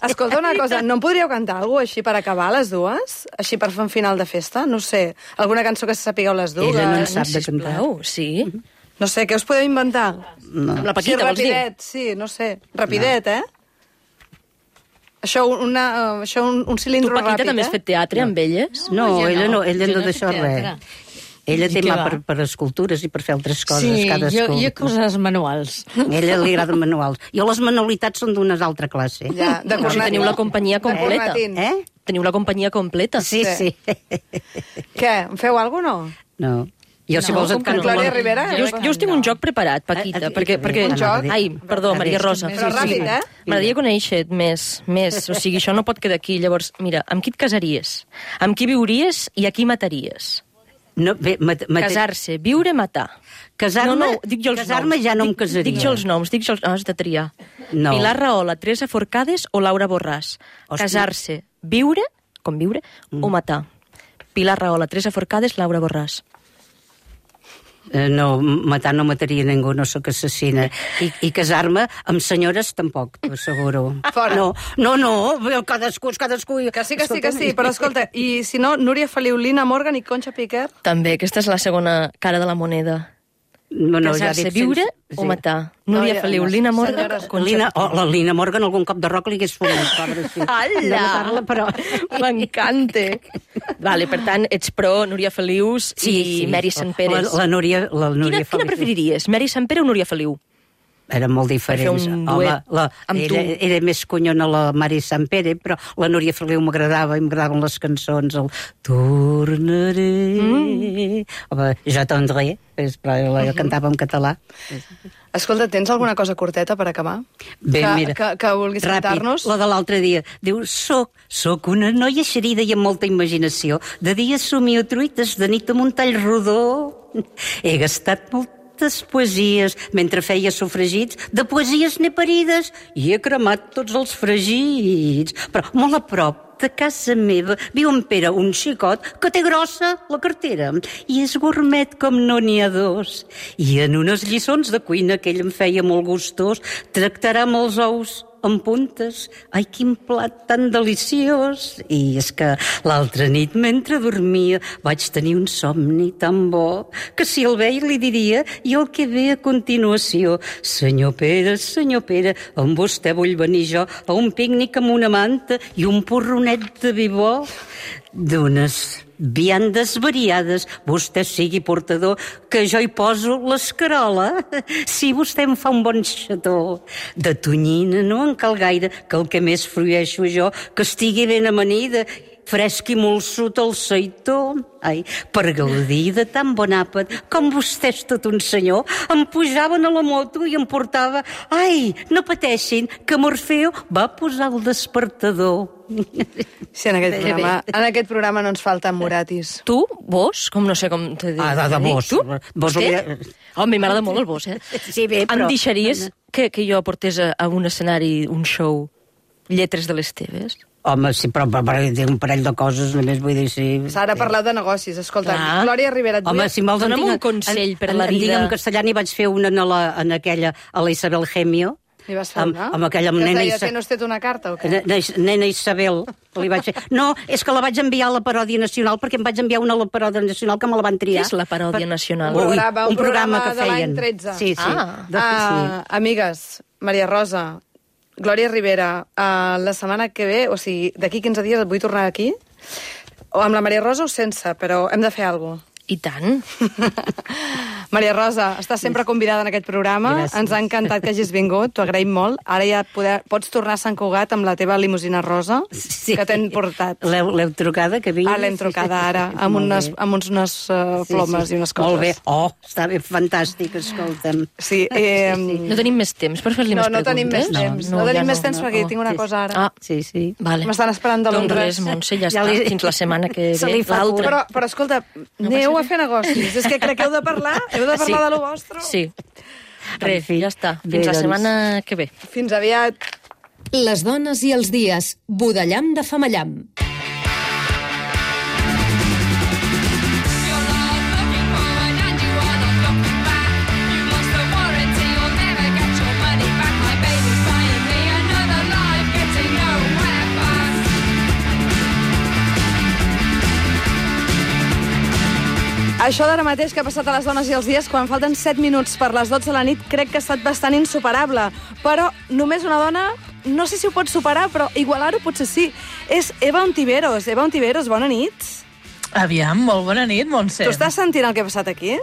Escolta una cosa, no em podríeu cantar alguna cosa així per acabar, les dues? Així per fer un final de festa? No sé, alguna cançó que se sapigueu les dues? Ella no en sap de cantar. Sisplau, sí. No sé, què us podeu inventar? No. Amb la Paquita, sí, vols dir? rapidet, sí, no sé, rapidet, eh? Això, una, uh, això un, un Tu, cilindro Paquita, ràpid, també eh? has fet teatre amb elles? No, jo ella no, no, ella jo no no he d'això fet teatre. res. Ella té I què mà va? per, per escultures i per fer altres coses, Sí, cadascú. jo, jo coses manuals. A ella li agraden manuals. Jo les manualitats són d'una altra classe. Ja, de O sigui, cornet. teniu la companyia De completa. cornetín. Eh? Teniu la companyia completa. Sí, sí. Què, em feu alguna cosa, no? No. Jo, si No, vols, com et que no? canto... Glòria la- Rivera? Jo, us- jo us tinc un joc preparat, Paquita, Ah, ah, perquè... ah, perquè... un joc? Ai, perdó, A Maria veure, Rosa. Però ràpid, eh? M'agradaria conèixer-te més, més. O sigui, això no pot quedar aquí. Llavors, mira, amb qui et casaries? Amb qui viuries i a qui mataries? No, bé, mat, mat... Casar-se, viure, matar. Casar-me, no, no, dic jo els casar-me noms. ja no em Dic- casaria. Dic jo els noms, dic jo els... No, has de triar. No. Pilar Rahola, Teresa Forcades o Laura Borràs. Hòstia. Casar-se, viure, com viure, mm. o matar. Pilar Rahola, Teresa Forcades, Laura Borràs. Eh, no, matar no mataria ningú, no sóc assassina. I, i casar-me amb senyores tampoc, t'ho asseguro. Fora. No, no, no, cadascú és cadascú. Que sí, que sí, que sí, però escolta, i si no, Núria Feliu, Lina Morgan i Concha Piquer? També, aquesta és la segona cara de la moneda. No, no, ja Casar-se, dic viure sense- o matar. No, Núria ja- Feliu, no, Lina senyores, Morgan, Concha Lina, Piquer. oh, la Lina Morgan algun cop de roc li hagués fumat, pobra, sí. Ala! De matar-la, però... M'encanta. Vale, per tant, ets pro Núria Felius i Mary Sant Pere. La, la Núria, la Núria Quina, quina preferiries, Mary Sant Pere o Núria Feliu? Eren molt diferents. Per fer un Home, duet la, amb era, tu. era més conyona la Mari Sant Pere, però la Núria Feliu m'agradava i m'agradaven les cançons, el Tornaré... Mm. Home, jo tendré, però la cantava en català. Escolta, tens alguna cosa curteta per acabar? Bé, que, mira, que, que vulguis cantar-nos? la de l'altre dia. Diu, soc, soc una noia xerida i amb molta imaginació. De dia somio truites, de nit amb un tall rodó. He gastat moltes poesies mentre feia sofregits. De poesies n'he parides i he cremat tots els fregits. Però molt a prop de casa meva viu en Pere, un xicot que té grossa la cartera i és gourmet com no n'hi ha dos. I en unes lliçons de cuina que ell em feia molt gustós tractarà amb els ous amb puntes. Ai, quin plat tan deliciós! I és que l'altra nit, mentre dormia, vaig tenir un somni tan bo que si el veia li diria i el que ve a continuació: senyor Pere, senyor Pere, amb vostè vull venir jo a un pícnic amb una manta i un porronet de vi bo. D'unes viandes variades, vostè sigui portador, que jo hi poso l'escarola. Si vostè em fa un bon xató de tonyina, no en cal gaire, que el que més frueixo jo, que estigui ben amanida fresc i molsut al seitó. Ai, per gaudir de tan bon àpat, com vostè és tot un senyor, em pujaven a la moto i em portava... Ai, no pateixin, que Morfeo va posar el despertador. Sí, en aquest, programa, en aquest programa no ens falten moratis. Tu, vos, com no sé com te dic. Ah, de, de vos. Tu? Vos Vostè? Oh, a mi m'agrada molt el vos, eh? Sí, bé, però... Em deixaries que, que jo portés a, a un escenari, un show, lletres de les teves? Home, sí, però per, per dir un parell de coses, només vull dir... Sí, S'ha de parlar de negocis, escolta. Clar. Glòria Rivera, et Home, vull... si em vols... Dona'm en tinc- un consell en- per en- la en vida. Digue'm castellà, n'hi vaig fer una en, la, en aquella, a la Isabel Gemio. Li vas fer amb, una? amb aquella Que es nena, deia, Isa... tens usted una carta o què? nena, nena Isabel, li vaig fer... No, és que la vaig enviar a la Paròdia Nacional, perquè em vaig enviar una a la Paròdia Nacional que me la van triar. Què és la Paròdia Nacional? Un programa, un un programa programa que de l'any feien. tretze. Sí, sí. Ah. De, Ah, amigues, Maria Rosa, Glòria Rivera, uh, la setmana que ve, o sigui, d'aquí quinze dies et vull tornar aquí, o amb la Maria Rosa o sense, però hem de fer alguna cosa. I tant. Maria Rosa, estàs sempre convidada en aquest programa. Gràcies. Ens ha encantat que hagis vingut, t'ho agraïm molt. Ara ja poder, pots tornar a Sant Cugat amb la teva limusina rosa, Sí. que t'hem portat. L'heu l'heu trucada, que vingui? Ah, l'hem trucada ara, amb Molt unes, bé. amb uns, unes uh, plomes i unes coses. Molt bé. Oh, està bé, fantàstic, escolta'm. Sí, eh, No tenim més temps per fer-li no, més no preguntes? tenim més temps. No, no tenim ja més temps perquè no. tinc una Sí, cosa ara. Ah, Sí, sí. vale. M'estan esperant de Doncs Londres. res, Montse, ja, Ja està. li- Fins la setmana que Se ve, li fa l'altra. Però, però escolta, aneu a fer negocis. És que crec que heu de parlar, heu de parlar Sí. de lo vostre. Sí. Res, fi, ja està. bé, Fins la doncs. setmana que ve. Fins aviat. Les dones i els dies. Budellam de Famallam. Això d'ara mateix que ha passat a les dones i els dies, quan falten set minuts per les dotze de la nit, crec que ha estat bastant insuperable. Però només una dona, no sé si ho pot superar, però igualar-ho potser sí. És Eva Ontiveros. Eva Ontiveros, bona nit. Aviam, molt bona nit, Montse. Tu estàs sentint el que ha passat aquí?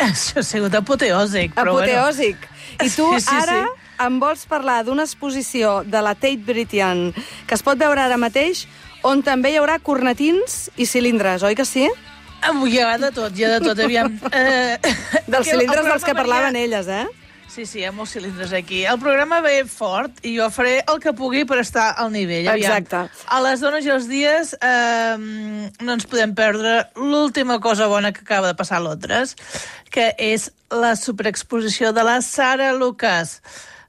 Això ha sigut apoteòsic, però Apoteòsic. I tu Sí, sí, ara sí. em vols parlar d'una exposició de la Tate Britain que es pot veure ara mateix, on també hi haurà cornetins i cilindres, oi que sí? Avui hi ha de tot, hi ha de tot, aviam. Eh, Dels que el cilindres dels que programa parlaven venia- elles, eh? Sí, sí, hi ha molts cilindres aquí. El programa ve fort i jo faré el que pugui per estar al nivell. Aviam. Exacte. A les dones i els dies eh, no ens podem perdre l'última cosa bona que acaba de passar a Londres, que és la superexposició de la Sarah Lucas.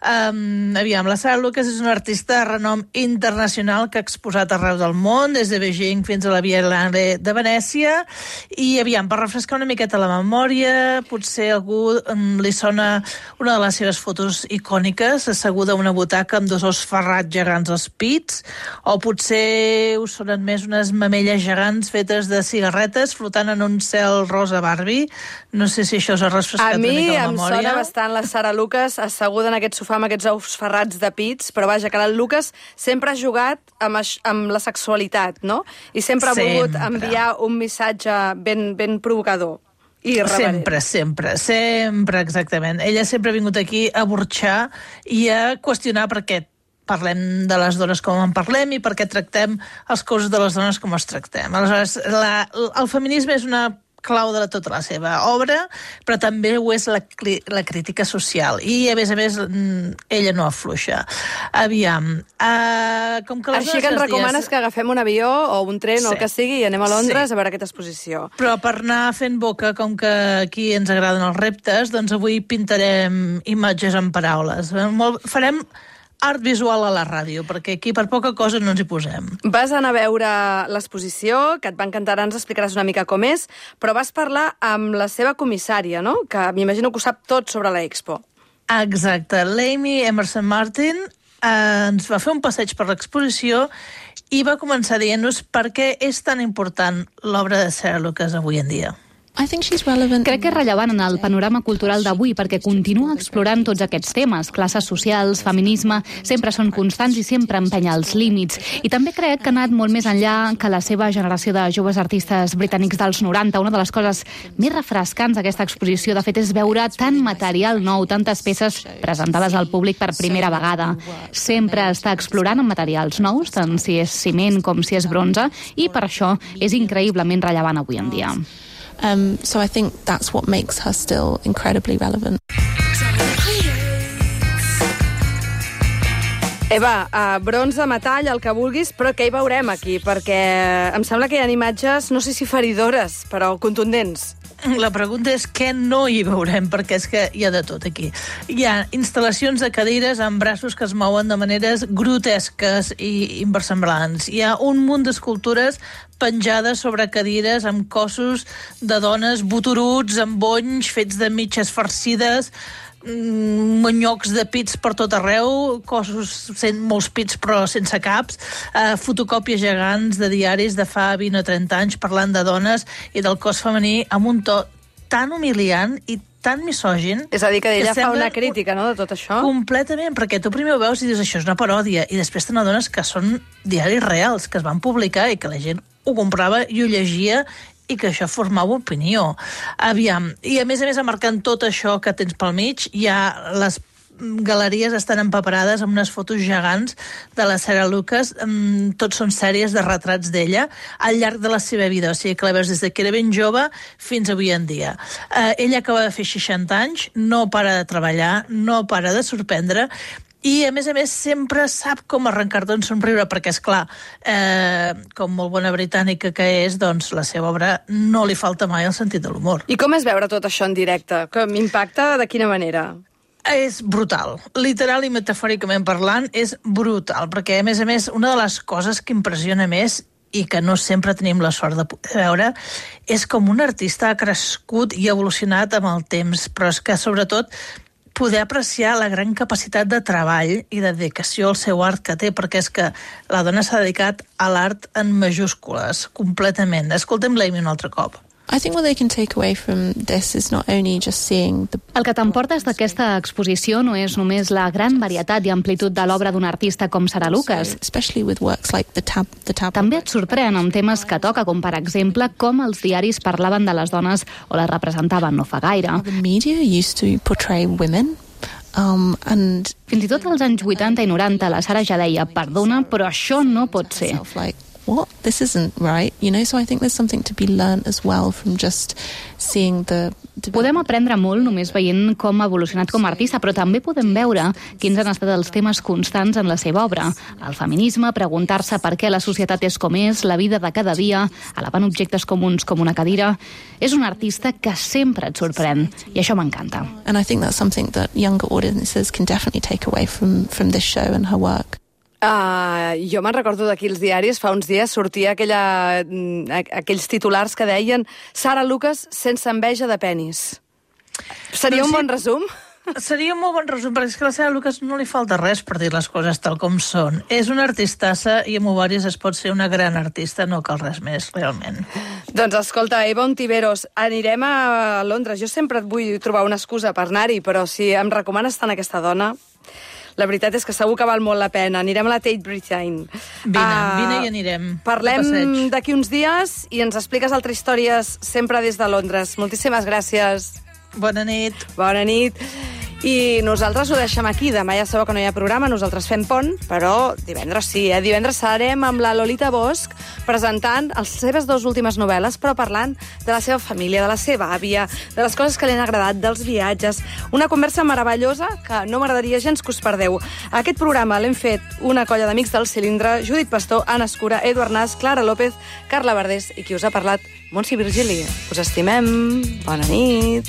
Um, aviam, la Sarah Lucas és una artista de renom internacional que ha exposat arreu del món, des de Beijing fins a la Biennale de Venècia, i aviam, per refrescar una miqueta la memòria, potser algú um, li sona una de les seves fotos icòniques, asseguda a una butaca amb dos ous ferrats gegants als pits, o potser us sonen més unes mamelles gegants fetes de cigarretes flotant en un cel rosa Barbie. No sé si això us ha refrescat A una mi mica la em memòria. sona bastant la Sarah Lucas asseguda en aquest sofà amb aquests ous ferrats de pits, però vaja, que la Lucas sempre ha jugat amb, aix- amb la sexualitat, no? I sempre ha volgut Sempre. enviar un missatge ben, ben provocador. I irreverent. Sempre, sempre, sempre, exactament. Ella sempre ha vingut aquí a burxar i a qüestionar per què parlem de les dones com en parlem i per què tractem els cossos de les dones com els tractem. Aleshores, la, el feminisme és una clau de la, tota la seva obra, però també ho és la, cri- la crítica social. I, a més a més, mm, ella no afluixa. Aviam, uh, com que les Així dones que ens els recomanes dies... que agafem un avió o un tren o Sí. el que sigui i anem a Londres Sí. a veure aquesta exposició. Però per anar fent boca, com que aquí ens agraden els reptes, doncs avui pintarem imatges en paraules. Molt, farem art visual a la ràdio, perquè aquí per poca cosa no ens hi posem. Vas anar a veure l'exposició, que et va encantar, ara ens explicaràs una mica com és, però vas parlar amb la seva comissària, no? Que m'imagino que ho sap tot sobre l'Expo. Exacte. L'Amy Emerson Martin eh, ens va fer un passeig per l'exposició i va començar dient-nos per què és tan important l'obra de Sarah Lucas avui en dia. Crec que és rellevant en el panorama cultural d'avui perquè continua explorant tots aquests temes. Classes socials, feminisme, sempre són constants i sempre empenya els límits. I també crec que ha anat molt més enllà que la seva generació de joves artistes britànics dels noranta. Una de les coses més refrescants d'aquesta exposició, de fet, és veure tant material nou, tantes peces presentades al públic per primera vegada. Sempre està explorant amb materials nous, tant si és ciment com si és bronze, i per això és increïblement rellevant avui en dia. Um, so I think that's what makes her still incredibly relevant. Eva, uh, bronze, metall, el que vulguis, però què hi veurem aquí? Perquè em sembla que hi ha imatges, no sé si feridores, però contundents. La pregunta és què no hi veurem, perquè és que hi ha de tot aquí. Hi ha instal·lacions de cadires amb braços que es mouen de maneres grotesques i inversemblants. Hi ha un munt d'escultures penjades sobre cadires amb cossos de dones boturuts, amb bonys fets de mitges farcides, monyocs de pits per tot arreu, cossos sent molts pits però sense caps, eh, fotocòpies gegants de diaris de fa vint o trenta anys parlant de dones i del cos femení amb un to tan humiliant i tan misògin. És a dir, que ella que fa una crítica, no?, de tot això. Completament, perquè tu primer ho veus i dius això és una paròdia, i després te n'adones que són diaris reals, que es van publicar i que la gent ho comprava i ho llegia i que això formava opinió. Aviam, i a més a més, marcant tot això que tens pel mig, hi ha les galeries estan empaperades amb unes fotos gegants de la Sarah Lucas, tots són sèries de retrats d'ella al llarg de la seva vida, o sigui que la veus des que era ben jove fins avui en dia. Eh, ella acaba de fer seixanta anys, no para de treballar, no para de sorprendre, i, a més a més, sempre sap com arrencar-te un somriure, perquè, és clar, eh, com molt bona britànica que és, doncs la seva obra no li falta mai el sentit de l'humor. I com és veure tot això en directe? Que m'impacta de quina manera? És brutal. Literal i metafòricament parlant, és brutal, perquè, a més a més, una de les coses que impressiona més i que no sempre tenim la sort de poder veure, és com un artista ha crescut i evolucionat amb el temps, però és que, sobretot, poder apreciar la gran capacitat de treball i de dedicació al seu art que té, perquè és que la dona s'ha dedicat a l'art en majúscules, completament. Escoltem-la un altre cop. I think what they can take away from this is not only just seeing the... El que t'emportes d'aquesta exposició no és només la gran varietat i amplitud de l'obra d'un artista com Sarah Lucas. Especially with works like the tab, the tab... També et sorprèn amb temes que toca, com per exemple com els diaris parlaven de les dones o les representaven no fa gaire. The media used to portray women. Um, and... Fins i tot als anys vuitanta i noranta la Sarah ja deia, perdona, però això no pot ser. Like, what? This isn't right, you know, so I think there's something to be learned as well from just seeing the... Podem aprendre molt només veient com ha evolucionat com a artista, però també podem veure quins han estat els temes constants en la seva obra. El feminisme, preguntar-se per què la societat és com és, la vida de cada dia, elevant objectes comuns com una cadira. És un artista que sempre et sorprèn, i això m'encanta. And I think that's something that younger audiences can definitely take away from, from this show and her work. Uh, jo me'n recordo d'aquí els diaris, fa uns dies sortia aquella, aquells titulars que deien Sarah Lucas sense enveja de penis. Seria doncs un sí, bon resum? Seria un molt bon resum, perquè és que a la Sarah Lucas no li falta res per dir les coses tal com són. És una artistassa i amb ovaris es pot ser una gran artista, no cal res més, realment. Doncs escolta, Eva Ontiveros, anirem a Londres. Jo sempre et vull trobar una excusa per anar-hi, però si em recomanes tant aquesta dona... La veritat és que segur que val molt la pena. Anirem a la Tate Britain. Vine, uh, vine i anirem. Parlem d'aquí uns dies i ens expliques altres històries sempre des de Londres. Moltíssimes gràcies. Bona nit. Bona nit. I nosaltres ho deixem aquí. Demà ja sabeu que no hi ha programa, nosaltres fem pont, però divendres sí, eh? Divendres serem amb la Lolita Bosch presentant les seves dues últimes novel·les, però parlant de la seva família, de la seva àvia, de les coses que li han agradat, dels viatges. Una conversa meravellosa que no m'agradaria gens que us perdeu. Aquest programa l'hem fet una colla d'amics del Cilindre, Judit Pastor, Anna Escura, Eduard Nas, Clara López, Carla Verdés i qui us ha parlat, Montse Virgili. Us estimem. Bona nit.